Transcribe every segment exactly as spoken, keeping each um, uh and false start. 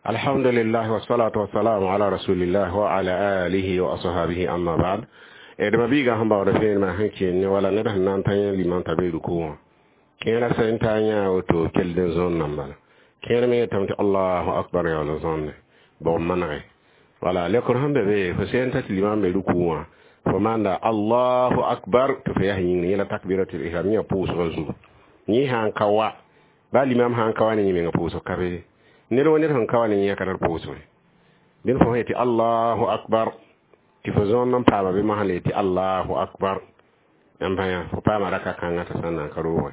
Alhamdulillah wassalatu wassalamu ala rasulillah wa ala alihi wa ashabihi, amma ba'd. D mabiigã sẽn baood vẽenemã sẽn kell wala ned sẽn na n ta yẽ limam t'a be ruku wã, kẽerã sẽn ta yã woto kell n zõnnã n bala. Kẽer me yetame tɩ allahu akbar, yaool n zõnne bog n manege. Wala lekr sẽn be be, fo sẽn ta tɩ limam be ruku wã, fo maanda allahu akbar tɩ fo yaa yĩngr yẽla takbiratul ihram, yã pʋʋsgã zugu. Yẽ sã n ka wa, ba limam sã n ka wa ne yẽ menga pʋʋsg ka be. Ned wa ned sẽn ka wa ne yẽ ka tar pʋʋsge. Dẽn fo sẽn tɩ allahu akbar tɩ fo zõond n paama bɩ mosã le tɩ allahu akbar n bãya, fo paama raka kãngã t'a sã n na n ka roogẽ.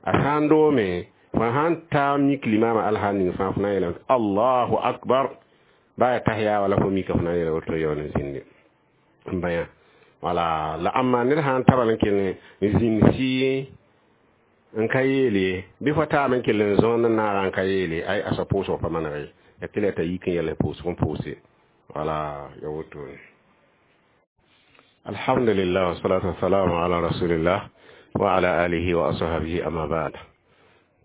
A sã n doome, fo sãn ta mik limama alhaal ning fãa, fo na n yeelame tɩ allahu akbar ba ya tahiya, wala fo mika fo na n yeela woto yaool n zĩnde n bãya. Wala la ãmma ned sã n tabal n kell n zĩnd sɩ n ka yeele bɩ fo taam n kell n zõond n naaga n ka yeele, ay a soab pʋʋsg pa maneg ye, ya tɩ la t'a yik n yɛl pʋʋsg n pʋʋse. Wala ya wotone. Alhamdulillah wassalatu wassalamu ala rasulillah wa ala alihi wa ashabihi, amma ba'd.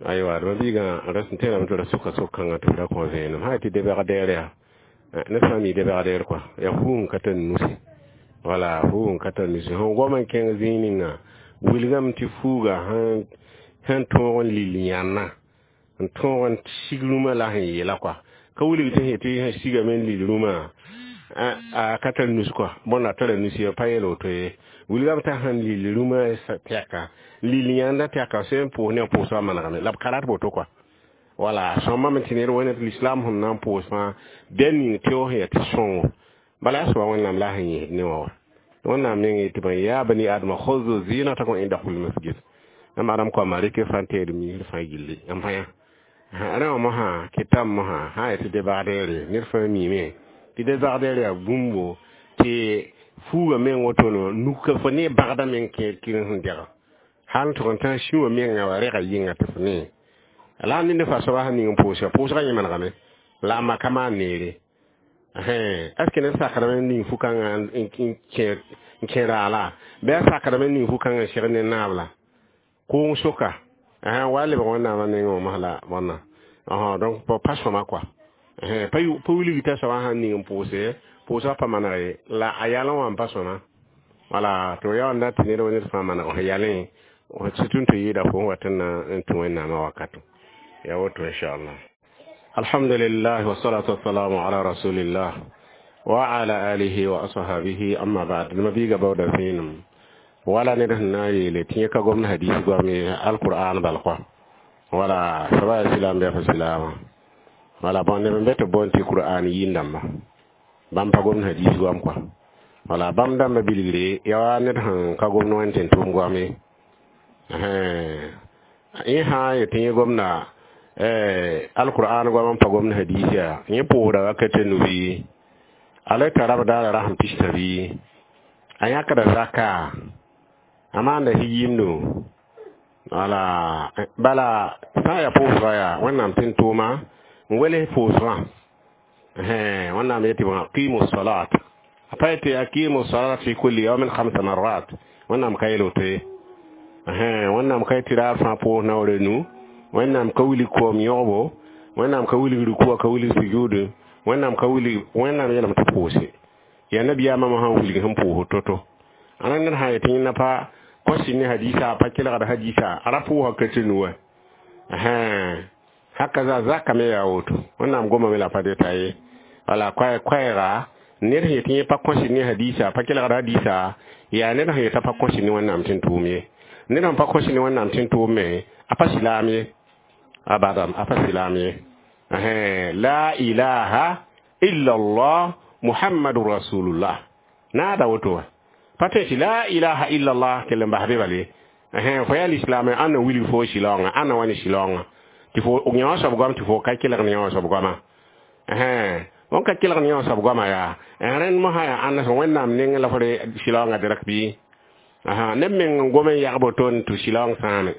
Aywa, d mabiigã ras n tẽedame tɩ ra sʋka sok-kãngã tɩ b ra kõ vẽenem sã tɩ debg deer yaa ned sã n mi debg deer kɔa, yaa fuug n ka tar nusi. Wala fuug n ka tar nusi, sẽn gom n kẽng zĩig ninga wilgame tɩ fuuga sẽn tõog n lil yãnna n tõog n sig rũmã la sẽn yeela kɔa, ka wilg tɩ sẽ tɩ sẽn sigame n lil rũmã a ka tar nus kɔa. Bõnda tara nus ye, pa yeel woto ye. Wilgame t'a sẽn lil rũmã tɛka, lil yãnda tɛka, sẽn pʋʋs ne pʋʋsgã manegame la b ka rat woto kɔa. Wala sõmbame tɩ ned wẽnd l'islam sẽn na n pʋʋs fãa bɩa ning tɩ sẽn yaa tɩ sõngo bala yaa soaba Wẽnnaam la a sẽn yẽsd ne wã wa. Wẽnnaam meng yetɩ bõe? Ya bani adama khuzu zinatakum inda kulli masjid. Yãmb adam koama, rɩk fãa teed miisd fãa gilli n bãya rẽ wã mosã kɩtame mosã sã n tɩ debagdeere ned fãa miime tɩ debagdeer yaa bũmbo tɩ fuugã meng woto nuka fo ne bagdã meng kẽer kɩrẽ sẽn dɛga hal n tʋg n tã sĩwã menga wa rɛga yɩnga tɩ fo ne la a ned fa soaba sẽn ning n pʋʋsga, pʋʋsgã yẽ manegame la a ma ka maan neere. Est ce que ned sakdame n ning fu-kãngã n kẽ raala, bɩ a sakdame n ning fu-kãngã n seg ne naab la kʋʋng soka wa lebg Wẽnnaamã nengẽ wã mos la bõnna? Donc pa sõma kɔa, pa wilg t'a soabã sãn ning n pʋʋse, pʋʋsgã pa maneg ye, la a yalẽ wã n pa sõma. Wala tɩ yaool n dat tɩ ned wa ned fãa maneg f yalẽ, surtout tɩ yɩɩda fo n wat n na n tũ Wẽnnaamã wakato ya woto, inchallah. Alhamdulillah wassalatu wassalamu ala rasulillah wa ala alihi wa ashabihi, amma ba'd. Mabiiga baooda vẽenem wala ned sẽn na n yeele tɩ yẽ ka gomd hadis goam ye, alqur'an bal kɔa. Wala soaba yaa silaam bɩ yaa fo silaamã. Wala bõn neb n be tɩ boond tɩ qur'an yĩn-dãmba, bãmb pa gomd hadis goam kɔa. Wala bãmb dãmbã bilgre yaa wa ned sẽn ka gomd wẽnd tɩ n tʋʋm goam ye. Yẽ sã n yet tɩ yẽ gomda alqur'an goam n pa gomd hadis yaa, yẽ pʋʋsda wakate nu bɩ a la tara b daara rasem pista bɩ a yãkda zaka, a maanda yimdo. Wala bala sã n yaa pʋʋsga yaa Wẽnnaam tɩ n tʋʋma n wels pʋʋsgã. Wẽnnaam yetɩ bõe? Aqimu salat. A pa yetɩ aqimu salat fi kulli yawmin khamsa marrat. Wẽnnaam ka yel woto ye. Wẽnnaam ka yetɩ raar fãa pʋʋs naoor nu. Wẽnnaam ka wilg koom yõgbo, Wẽnnaam ka wilg rukuwa, ka wilg sujuudu, Wẽnnaam ka wilg. Wẽnnaam yeelame tɩ pʋʋse. Yaa nabiyaamã sãn wilg sẽn pʋʋs to-to. Ãna ned sã n yetɩ yẽnda pa kõs ne hadisa, pa kelgd hadisa, a ra pʋʋsa ka tɩ nu wã. Haka za zaka me yaa woto, Wẽnnaam gomame la pa deta ye. Wala koɛɛga ned sẽn yetɩ yẽ pa kõs ne hadisa, pa kelgd hadisa, yaa ned sẽn yetã pa kõs ne Wẽnnaam tɩ n tʋʋm ye. Ned sẽn pa kõs ne Wẽnnaam tɩ n tʋʋm me, a pa silaam ye, abadan, a pa silaam ye. La ilaha illa allah muhammadu rasulullah naada woto wa pa tõe tɩ la ilaha illa allah kell n bas be bale. Fo yaa lislaam, ãnna wilg fo silaoongã, ãnna wa ne silaoongã tɩ fo yã soab goam tɩ fo ka kelg ne yã soab goama. Wõn ka kelg ne yã soab goama yaa rẽnd mosã yaa ãnna sẽn Wẽnnaam nengẽ la fo re silaoongã direct bɩ neb meng n gom n yag boto n tɩ silaoong sãame.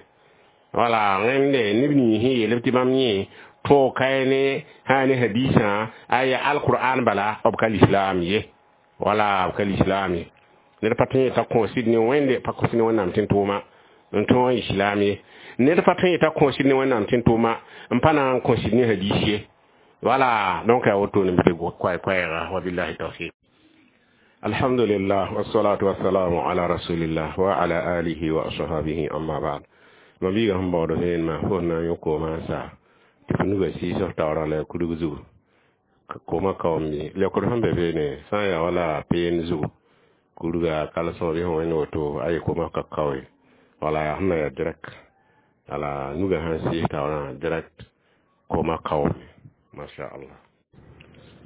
Wala rẽnde neb nins sẽn yeel tɩ bãmb yẽ tõog kae ne sã ne hadisã, aya alqur'an bala, b ka lislaam ye. Wala b ka lislaam ye. Ned pa tõe t'a kõosid ne Wẽnde, pa kõs ne Wẽnnaam tɩ n tʋʋma n tõog n islaam ye. Ned pa tõe t'a kõosid ne Wẽnnaam tɩ n tʋʋma n pa na n kõsid ne hadis ye. Voilà, donc yaa wotone bɩ koɛɛ-koɛɛga. Wabillahi tawfiq. Alhamdulillah, wassalatu wassalamu ala rasulillah wa ala alihi wa ashabihi, amma ba'd. Ma biiga sẽn baood vẽenemã, fo sẽn na n yõ koomã n sa tɩ f nuga sɩɩsg taoorã la kurg zugu koomã kaoom. Leokd sẽn be beene sã n yaa wala peen zugu kurga kalsõ bɩ sẽn wẽnd woto aye koomã ka kaoe. Wala yaa sẽn na yaa direct, wala nuga sãn sɩɩs taoorã direct koomã kaoome. Masha Allah.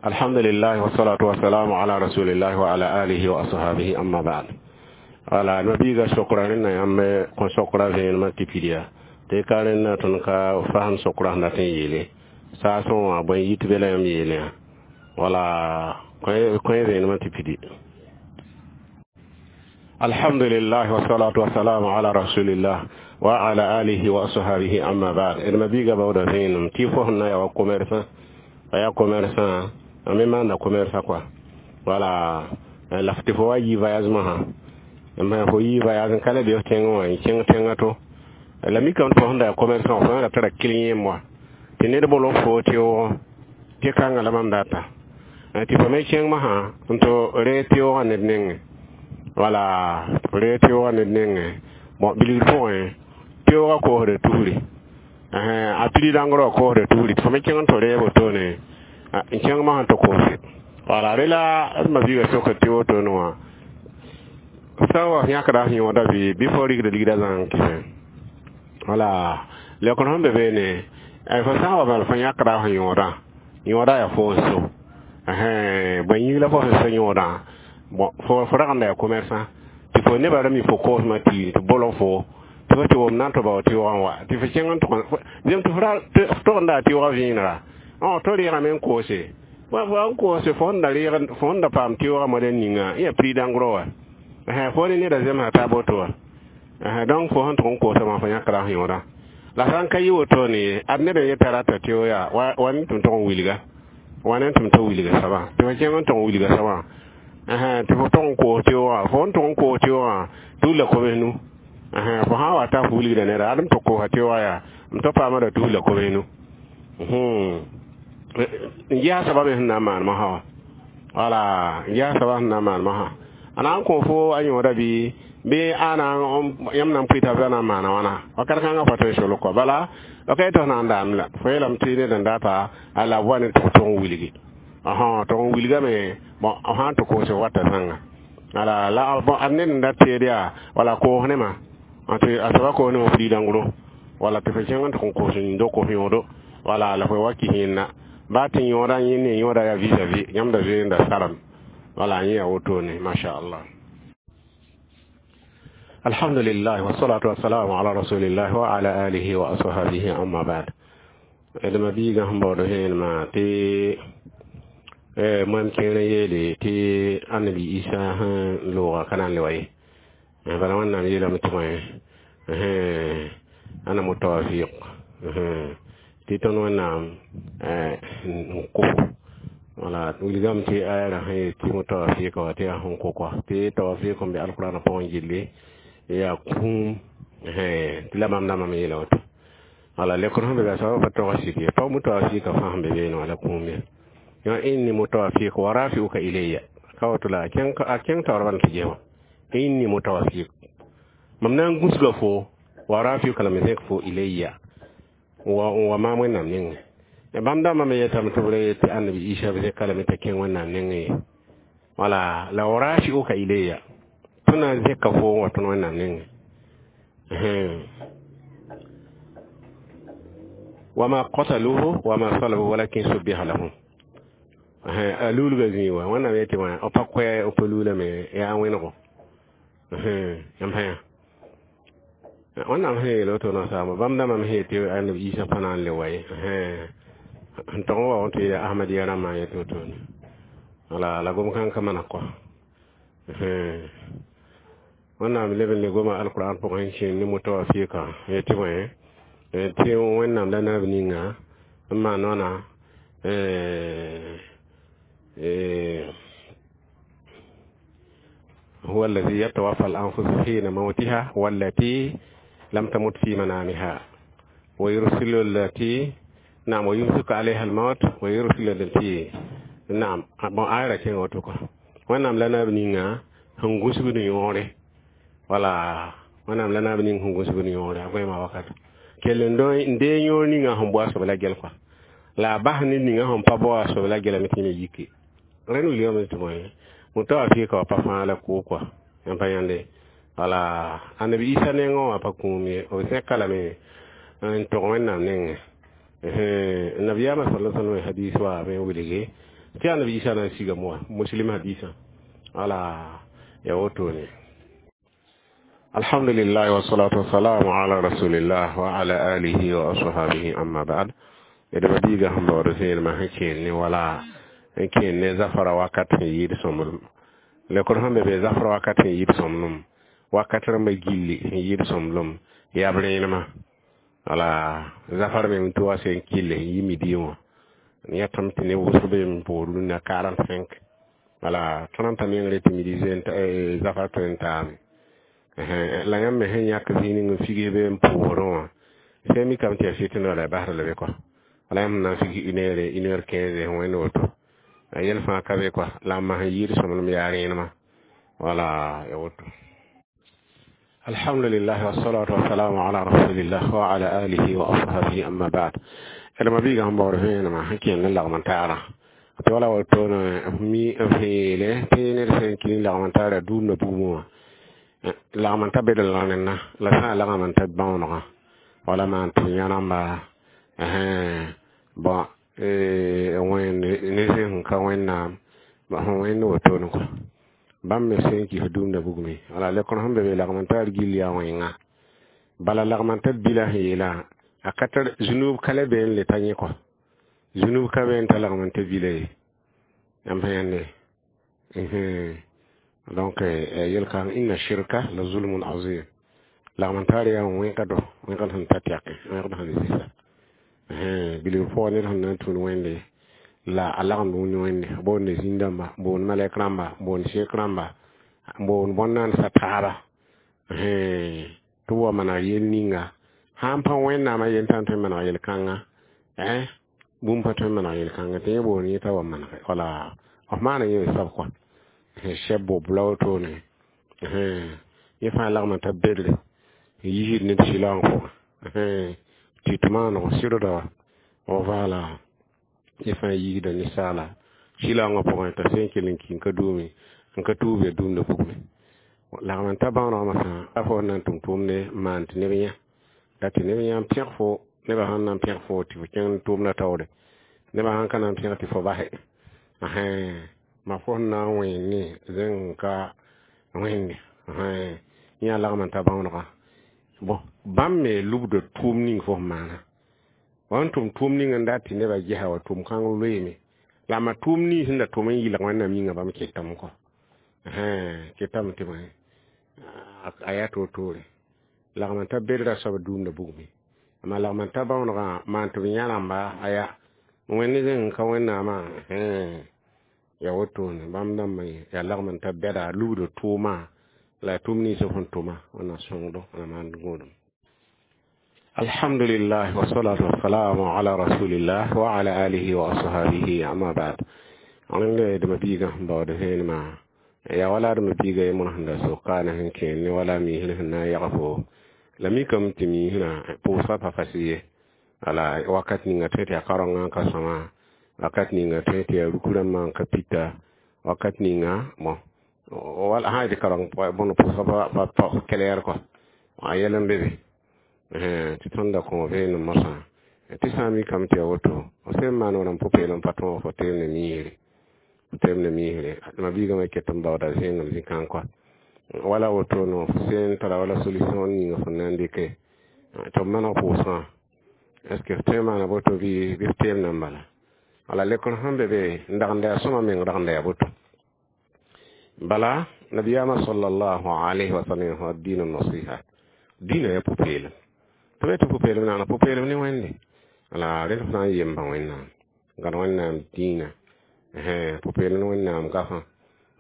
Alhamdulillah, wassalatu wassalamu ala rasulillah wa ala alihi wa ashabihi, amma ba'd. Wala ma biiga sokra rẽnna yãmb kõ sokra vẽenemã tɩ pid yaa tɩ ka rẽnna tõnd ka fasem sokra sẽn dat n yeele saasẽ wã bõe yit be la yãmb yeele yã. Wala kõ vẽenemã tɩ pidi. Alhamdulillah, wassalatu wassalamu ala rasulillah wa ala alihi wa ashabihi, amma ba'd. D ma biiga baooda vẽenem tɩ fo sẽn na yaa wa commerçant, a yaa commerçant a me maanda commerçant quoi. Wala la tɩ fo wa yi voyage masã, ma fo yi voyage n ka le be f tẽngẽ wã n kẽng tẽngã to la mikame tɩ fo sẽn da yaa commerçant, fo ra tara client wã tɩ ned bol fo tɩ tɩ kãngã la mam data tɩ fo me kẽng masã n tɩ reeg teoogã ned nengẽ. Wala reeg teoogã ned nengẽ. Bon, bilgr pʋgẽ teoogã koosda tusri, a prix dãngr wã koosda tusri tɩ fo me kẽng n tɩ reeb wotone n kẽng masã tɩ koose. Wala rela d ma biiga soka tɩ wotone wã sã n wa yãkda f yõoda bɩ bɩ fo rɩkda ligda zãng kɩsẽ. Wala leokd sẽn be beene, fo sã n wa bala fo yãkda f yõodã, yõoda yaa fo n so bõe yĩng la fo sẽn so yõodã. Bon, fo fo rag n da yaa commerçant tɩ fo nebã ra mi fo koosmã tɩ tɩ bolg fo tɩ fo tɩ wom na n tɩ bao tɩʋgã wa tɩ fo kẽng n tʋg zem tɩ fo tog n daa tɩʋgã vẽenega tɩ reegame n koose fo n koose fo sẽn da reeg fo sẽn da paam tɩʋgã modɛl ninga yã prix dãngr wa fo ne neda zemsa taa boto wa. Donc fo sẽn tʋg n koosã wã fo yãkra f yõoda la sã n ka yɩ wotone ye ad ned n yeta rata tɩ yaa wa ne tɩ m tog n wilga wa ne tɩ m tog wilga soabã tɩ fo kẽng n tog n wilga soabã tɩ fo tog n koos teoogã fo n tog n koos teoogã tus la koms nu. Fo sã n wa ta fo wilgda neda ad m tɩ koosa teoogã yaa m tɩ paama da tus la koms nu n ges soabã me sẽn na n maan masã wã. Wala n ges soabã sẽn na n maan masã a na n kõ fo a yõoda bɩ bɩ ãna yãmb na n pʋɩ t'a na n maana wãna wakat kãngã fo tõe n solg kɔ bala ok tɩ f na n daam la fo yeelame tɩ ned n data a la wa ne tɩ f tog n wilgi tɩg n wilgame. Bon, f sã n tɩ koos wata zãnga ala la bon ad ned n da teed yaa wala koos nema tɩ a soaba koos nema prix dãngro wala tɩ fo kẽng n tɩg n koos n do koos yõodo wala la fo wa kɩ yẽnna baa tɩ yõoda yẽ ne yõoda yaa vis-à-vis yãmb da zoeenda salam. Wala yẽ yaa wotone. Masha Allah. Alhamdulillah, wassalatu wassalamu ala rasulillah wa ala alihi wa ashabihi, amma ba'd. D ma biiga sẽn baood vẽenemã tɩ moam kẽer n yeele tɩ annabi Isa sẽn looga ka na n le wa ye bala Wẽnnaam yeelame tɩ bõe ana mutawafiq tɩ tõnd Wẽnnaam n kʋ. Wala wilgame tɩ aya rã sẽn yet tɩ mutawafiqa wa tɩ yaa sẽn kʋ kɔa tɩ tawafiq n be alqurana pʋgẽ gilli yaa kũum tɩ la mam dãmbame yeela woto. Wala lekr sẽn be be a soabã pa tog sik ye pa mutawafiqa fãa sẽn be beene wala kũum ye yã inni mutawafiq wa rafi'uka ilayya ka woto la a kẽng taoor bal tɩ ges wã inni mutawafiq mam na n gũsga fo wa rafi'uka la me zẽk fo ilayya wa wa maam Wẽnnaam nengẽ. Bãmb dãmbã me yetame tɩ b ra yet tɩ annabi Isa b zẽka lame t'a kẽng Wẽnnaam nengẽ ye. Wala la wa rafi'uka ilayya tõnd na n zẽka fo n wa tõnd Wẽnnaam nengẽ. Wama qataluhu wama salabuhu walakin subbiha lahum a luulga zĩig wã Wẽnnaam yetɩ wã b pa koɛ b pa luulame yaa wẽnego yãmb sã yã Wẽnnaam sẽn yeel woto nasaama bãmb dãmbã me sẽn yet tɩ annabi Isa pa na n le wa ye n tog n wa tɩ yaa Ahmadiya rãmbã n yet wotone. Wala la gom kãng ka mana kɔ Wẽnnaam leb n le goma alquran pʋgẽ n kẽen ne mutawafika yetɩ bõe tɩ Wẽnnaam la naab ninga n maan wãna هو الذي يتوفى الأنفس حين موتها والتي لم تمت في منامها ويرسل التي Naam, wa yumsiku alayha al-maut wa yursilu tɩ naam bon ayra kẽnga woto kɔ. Wẽnnaam la naab ninga sẽn gũsgd yõore, wala wẽnnaam la naab ning sẽn gũsgd yõore a goẽema wakat kell n dee yõor ninga sẽn bao a soab la gɛl kɔa la a bas ned ninga sẽn pa bao a soab la gɛlame tɩ yẽ yike. Rẽnd wilgame tɩ bõe moto wa fɩɩka wa pa fãa la koo kɔa yãmb pa yãnde. Wala annabi Isa nengẽ wã pa kũum ye, b zẽka lame n tog Wẽnnaam nengẽ. Nabiyaamã sala sallam hadis wa me wilge tɩ annabi Isa na n sigame wa Muslim hadisã, wala ya wotone. Alhamdulillah, wassalatu wassalamu ala rasulillah wa ala alihi wa ashabihi, amma ba'd. D biiga sẽn baood vẽenemã sẽn kẽen ne wala n kẽen ne zafara wakat sẽn yɩɩd sõmblem lekr sẽn be be zafra wakat sẽn yɩɩd sõmblem wakat rãmbã gilli sẽn yɩɩd sõmblem yaa b rẽenemã. Wala zafar me tɩ wa sẽn kille sẽn yi midi wã yãtame tɩ neb wʋsg be n poor rũnnã quarante-cinq, wala trente meng re tɩ midi zafar tõe n taame. La yãmb me sẽn yãk zĩig ning n figs be n pʋʋsdẽ wã sẽn mikame tɩ yaa fitna wala basd la be kɔa, wala yãmb na n fig une heure, une heure quinze wẽnd woto a yɛl fãa ka be kɔa la a mas n yɩɩd sõmblem yaa rẽenemã, wala ya woto. Alhamdulillah, wassalatu wassalamu ala rasulillah wa ala alihi wa ashabihi, amma ba'd. D mabiiga sẽn baood vẽenemã sẽn kẽnd ne lagm n taara tɩ wala wotone mi f yeele tɩ ned sẽn kɩ lagm n taara dũumda bugmẽ wã lagm n ta bed la rẽnna la sã n lagm n ta bãonegã wala maan tɩ yã rãmba bon wẽnd ne sẽn ka Wẽnnaam sẽn wẽnd wotone kɔ bãmb me sẽn kɩs dũumda bugmẽ. Wala lekr sẽn be be lagm n taar gill yaa wẽnga bala lagm n ta bila sẽn yeelã a ka tar zunub ka le bee n le ta yẽ kɔ zunub ka be n ta lagm n ta bila ye yãmb sã yãnde. Donc yel-kãng inna shirka la zulmun azim lagm n taar yaa wẽnka do wẽnkd sẽn ta tɛke wẽnkd sẽn zɩsa bilg pʋgã ned sẽn na n tũud Wẽnde la a lagmd wẽnd Wẽnde boonde zĩn-dãmba boond malɛk rãmba boond sek rãmba boond bõn-naandsã taaba tɩ b wa maneg yel ninga sãn pa Wẽnnaamã yel tã n tõe n maneg yel-kãnga bũmb pa tõe n maneg yel-kãnga tɩ yẽ boond yẽ t'a wa manege wala f maana yẽ sab kɔa sɛb bob la wotone yẽ fãa lagm n ta bedre n yisd ned sɩlaoong pʋgẽ tɩ tɩ maanego sɩdda wa vala yẽ fãa yisda ninsaala sɩlaoongã pʋgẽ t'a sẽn kell n ki n ka duume n ka tuub ya dũmda bugme lagm n ta bãonegã masã a fo na n tʋm tʋʋmde n maan tɩ neb yã la tɩ neb yã n pẽg fo nebã sãn na n pẽg fo tɩ fo kẽng tʋʋmdã taoore nebã sãn ka na n pẽg tɩ fo base ma fo sẽn na n wẽene zẽng ka wẽnde yã lagm n ta bãonegã bon bãmb me lubda tʋʋm ning fo sẽn maana wa n tʋm tʋʋm ning n dat tɩ nebã gesa wa tʋʋm kãng loeeme la ma tʋʋm nins sẽn da tʋm n yɩlg Wẽnnaam yĩnga bãmb ketame kɔ ketame tɩ bõe a yaa toor-toore lagm n ta bedra soab dũumda bugme amma lagm n ta bãonegã maan tɩ b yã rãmba aya wẽnd zẽng ka Wẽnnaamã ya wotone bãmb dãmbã yaa lagm n ta bɛda lubda tʋʋma la tʋʋm nins f sẽn tʋma Wẽnnaam sõngdo na maan gõodem. Alhamdulillah, wassalatu wassalamu ala rasulillah wa ala alihi wa ashabihi, amma ba'd. Rẽnd d mabiigã sẽn baood vẽenemã yaa wala d mabiiga yembr sẽn da sokaana sẽn kẽen ne wala miisr sẽn na n yag fo la mikame tɩ miisrã pʋʋsga pa fas ye wala wakat ninga tõe tɩ yaa karongã n ka sõma wakat ninga tõe tɩ yaa ruk rãmbã n ka pita wakat ninga bon wala sã tɩ karong bõn pʋʋsga pa pa clair kɔ a yɛl n be be tɩ tõnd da kõ vẽenem mosã tɩ sã n mikame tɩ yaa woto f sẽn maan wala n pʋ-peelem pa tõog fo teem ne miisre fo teem ne miisre mabiigã me ket n baooda zẽengem zĩ-kãng kɔa wala woto no f sẽn tara wala solution ninga fõn na n dɩke tɩ b maneg pʋʋsgã est ce que f tõe n maana boto bɩ bɩ f teem nan bala wala lekr sẽn be be n dagenda yaa sõma meng ragenda yaa boto bala nabiyaamã sallallahu alayhi wa sallam fa dĩnã nasiha dĩnã yaa pʋ-peelem tɩ be tɩ pʋ-peelem naana pʋ-peelem ne Wẽnde wala rẽd f na n yemba Wẽnnaam gãd Wẽnnaam dĩinã pʋ-peelem ne Wẽnnaam gafã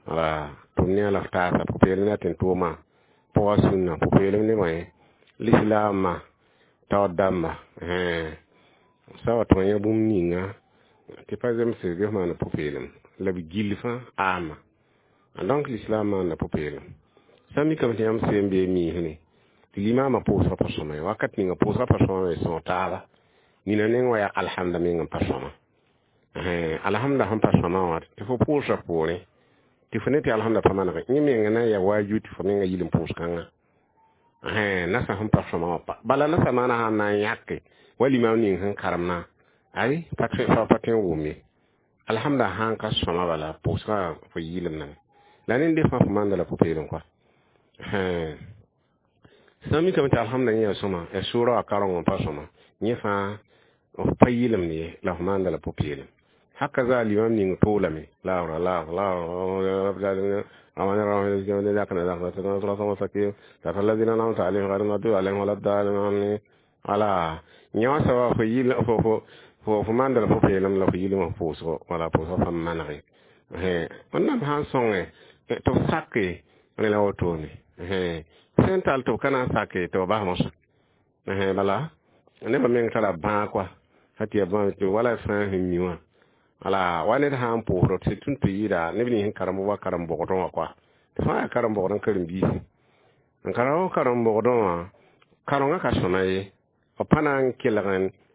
wala tʋm ne a la f taasa pʋ-peelem ne a tẽn-tʋʋmã pʋga sũnna pʋ-peelem ne bõe lislaamã taoor dãmba Sã wa tɩ yã bũmb ninga tɩ pa zemse bɩ f maana pʋ-peelem la b gill fãa aama. Donc l'islam maanda pʋ-peelem. Sã n mikame tɩ yãmb seen bee miisne tɩ limaamã pʋʋsgã pa sõma ye, wakat ninga pʋʋsgã pa sõma me sõog taaba nina neng wã yaa alhamda meng n pa sõma. Alhamda sẽn pa sõma wã tɩ fo pʋʋsã poorẽ tɩ fo ne tɩ alhamda pa manege yẽ menga na n yaa waaju tɩ fo menga yil n pʋʋs kãngã nasã sẽn pa sõma wã bala nasã maana sãn na n yãke wa limaam ning sẽn karemna ay pa pa tõe n wʋm ye. Alhamda sãn ka sõma bala pʋʋsgã fo yɩlemdame la ned fãa fo maanda la pʋ-peelem kɔa. Sã n mikame tɩ alhamda yẽ yaa sõma ya sʋʋra wã kareng n pa sõma yẽ fãa f pa yɩlemd ye la f maanda la pʋ-peelem. Haka za limam ning toolame la la la wala yã wã soaba fo yɩl fo fo fo fo maanda la pʋ-peelem la fo yɩlem f pʋʋsgo wala pʋʋsgã fãa manege. Wẽnnaam sã n sõnge tɩ b sake rẽ la wotone sẽn tall tɩ b ka na n sake tɩ b bas mosã bala nebã meng tara bãag koa sã tɩ yaa bãag tɩ wala fãa sẽn mi wã wala wa ned sã n pʋʋsd tɩ tũn tɩ yɩɩda neb nins sẽn karemb wa karen-bogdẽ wã koa tɩ fãa yaa karen-bogd n karen-biisi n ka karen-bogdẽ wã karengã ka sõma ye b pa na n kelg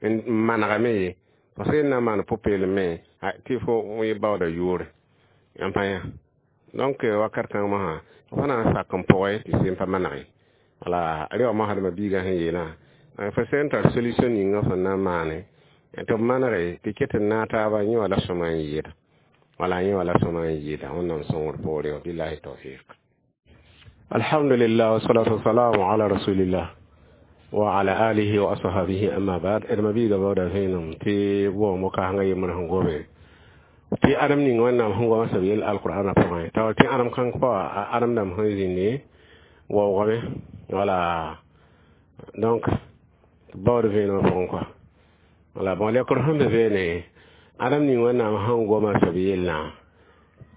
n manegame ye parce que na n maan pʋ-peelem me tɩ fo baooda yʋʋre yãmb pa yã. Donc wakat kãng mosã f na n sak n pʋgẽ tɩ sẽn pa manege wala rẽ wã mosdmã biigã sẽn yeelã fo sẽn tar solution ninga fõn na n maane tɩ b manege tɩ ket n naag taaba yẽ wã la sõma n yɩɩda wala yẽ wã la sõma n yɩɩda Wẽnnaam sõngr poore wã billahi tawfiq. Alhamdulillah wassalatu wassalamu ala rasulillah wa ala alihi wa ashabihi amma ba'd. D mabiiga baooda vẽenem tɩ waoongo kaasengã yembr sẽn goame tɩ ãdem ning Wẽnnaam sẽn goamã sab yell alqur'ana pʋgẽ t'a tɩ ãdem kãng pa ãdem dãmb sẽn zĩndi waoogame wala donc baood vẽenemã pʋgẽ kɔa wala bon lekr sẽn be beene ãdem ning Wẽnnaam sẽn goma sab yellã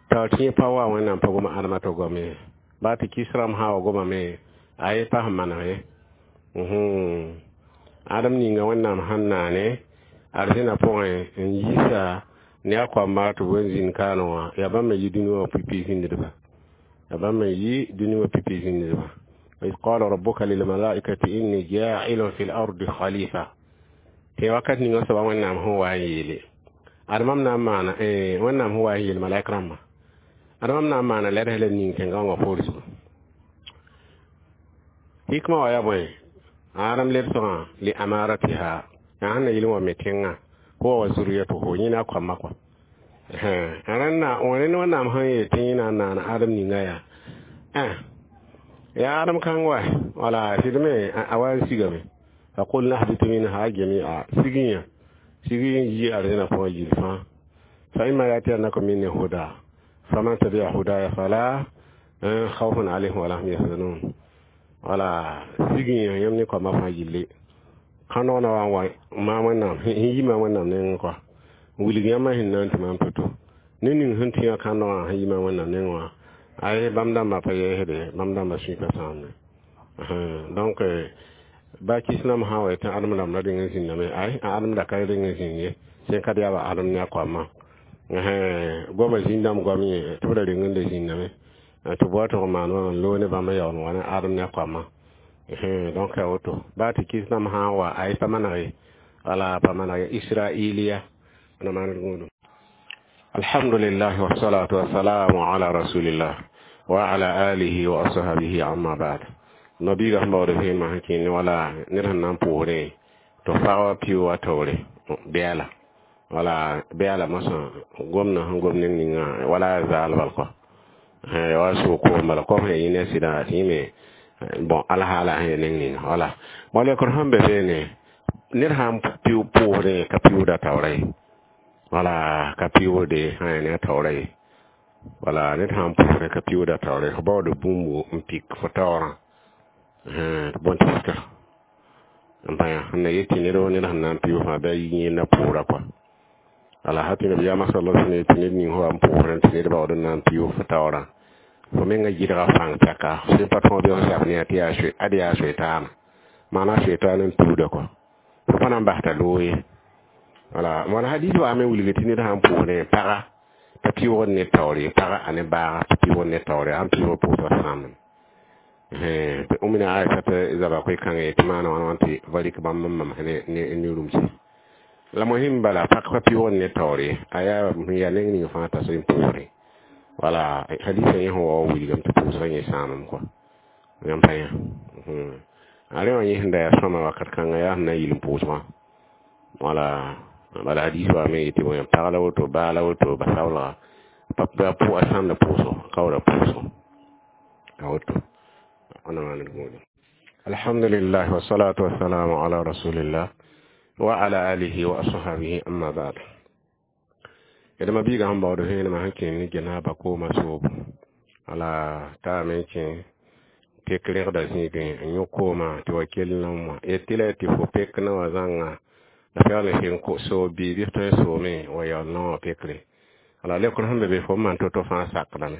t'a tɩ yẽ pa wa Wẽnnaam pa goma ãdemã tɩ gom ye baa tɩ kis rãmb sã wa gomame a ye pa sẽn maneg ye. Ãdem ninga Wẽnnaam sẽn naane arzẽna pʋgẽ n yiisa ne a koamba tɩ b wen zĩnd kaane wã yaa bãmb me yi dũni wã pipi zĩndba yaa bãmb me yi dũni wã pipi zĩndba. وإذ قال ربك للملائكة إني جاعل في الأرض خليفة tɩ wakat ninga soaba Wẽnnaam sẽn wa n yeele admam na n maana Wẽnnaam sẽn wa n yeel malaik rãmbã admam na n maana lɛds la ning tẽngã wã poor zugu hikma wã yaa bõe adam lebsgã li amaratiha yaa sẽn na yɩl n wa me tẽngã huwa wa zuriyatuhu yẽ na a koamã kɔa rẽnna rẽnd Wẽnnaam sẽn yeel tɩ yẽ na n naana adem ninga yaa yaa adem kãng wa wala sɩd me a wa n sigame فقلنا اهبطوا منها جميعا سجيا سجيا يجي أرضنا فوق جلفا فإما يأتينكم مني هدى فمن تبع هداي فلا خوف عليهم ولا هم يحزنون wala سجيا يمني كما فاجلي kãnog na wa n wa maam Wẽnnaam sẽn yi maam Wẽnnaam nengẽ kɔa n wilg yãmb sẽn na n tɩ maam to-to ne ning sẽn tũ yã kãnegã sẽn yi maam Wẽnnaam nengẽ wã ay bãmb dãmbã pa yɛɛsde bãmb dãmbã sũy pa sãamde. Donc ba kisnam sã wa tɩ ãdem rãmb ra reng n zĩndame ay a ãdem ra ka reng n zĩnd ye sẽn ka yaa ãdem ne a koamã goamã zĩn-dãmb goam yẽ tɩ b ra reng n da zĩndame tɩ b wa tɩg n maan wã n loog ne bãmb n yaool n wa ne ãdem ne a koamã. Donc yaa woto baa tɩ kisnam sã n wa ay pa maneg ye wala pa maneg ye israiliya na maan gũudum. Alhamdulillah wassalatu wassalamu ala rasulillah wa ala alihi wa ashabihi amma ba'd. Nabiiga sẽn baood vẽenemã sẽn kẽne wala ned sẽn na n pʋʋsdẽ tɩ fag wa pɩʋ wa taoore bɛɛla wala bɛɛla mosã gomdã sẽn gom neng ninga wala zaal bal kɔ wa sʋʋg koom bala kom sẽn yẽ ne sɩdã tɩ yẽ me bon alhaala sẽn ya neng ninga wala walekr sẽn be beene ned sã n pɩʋ pʋʋsdẽ ka pɩʋʋda taoora ye wala ka pɩʋʋde sã ya ne a taoora ye wala ned sã n pʋʋsdẽ ka pɩʋʋda taoora ye fo baood bũmbu n pik fo taoorã bõn tɩ fika n pa yã sẽn na yet tɩ ned ned sẽn na n pɩʋ fãa bɩ a yi yẽnda pʋʋra kɔa wala ha tɩ nabiyaamã sala sallam yetɩ ned ning fo wa n pʋʋsdẽ tɩ ned baood n na n pɩʋ fo taoorã fo menga gɩdga fãng pɛka sẽn pa tõog bɩ f zab ne tɩ yaa ad yaa soetaana maana soetaan n tuuda kɔ fo pa na n bas t'a loog ye. Wala wala hadis wa me wilge tɩ ned sãn pʋʋsdẽ paga pa pɩʋgd ne taoore paga a ne baaga pa pɩʋgd ne taoore sãn pɩʋg pʋʋsga sãamdame Umina Aisha tɩ zaba koe-kãngã tɩ maana wãna wã tɩ va rɩk bãmb n mamsẽ ne ne rũmsi la mohim bala pak pa pɩʋgd ne taoore a yaa yaa neng ning fãa t'a sẽn pʋʋsdẽ wala hadisa yẽ sẽn wa wa wilgame tɩ pʋʋsgã yẽ sãamame kɔa yãmb pa yã a rẽ wã yẽ sẽn da yaa sõma wakat kãngã yaa sẽn na n yɩl n pʋʋsgã wala bala hadis wa me yetɩ bõe pag la woto baa la woto basaoolga pa a sãamda pʋʋsgo kaooda pʋʋsgo a woto ana maand gũudu alhamdulillah wasalatu wassalamu ala rasulillah wa ala alihi wa ashabihi amma ba'd yedma biiga sẽn baood vẽenemã sẽn kẽen ne janaba koomã soobo wala taame kẽ pek rẽgda zĩigẽ n yõ koomã tɩ wa kell n wã yetɩ la tɩ fo pek na wã zãnga la pɛgl n sɩng soob bii bɩ f tõe n soome wa yaool na wã pekre wala lekr sẽn be be fo n maan to-to fãa sakdame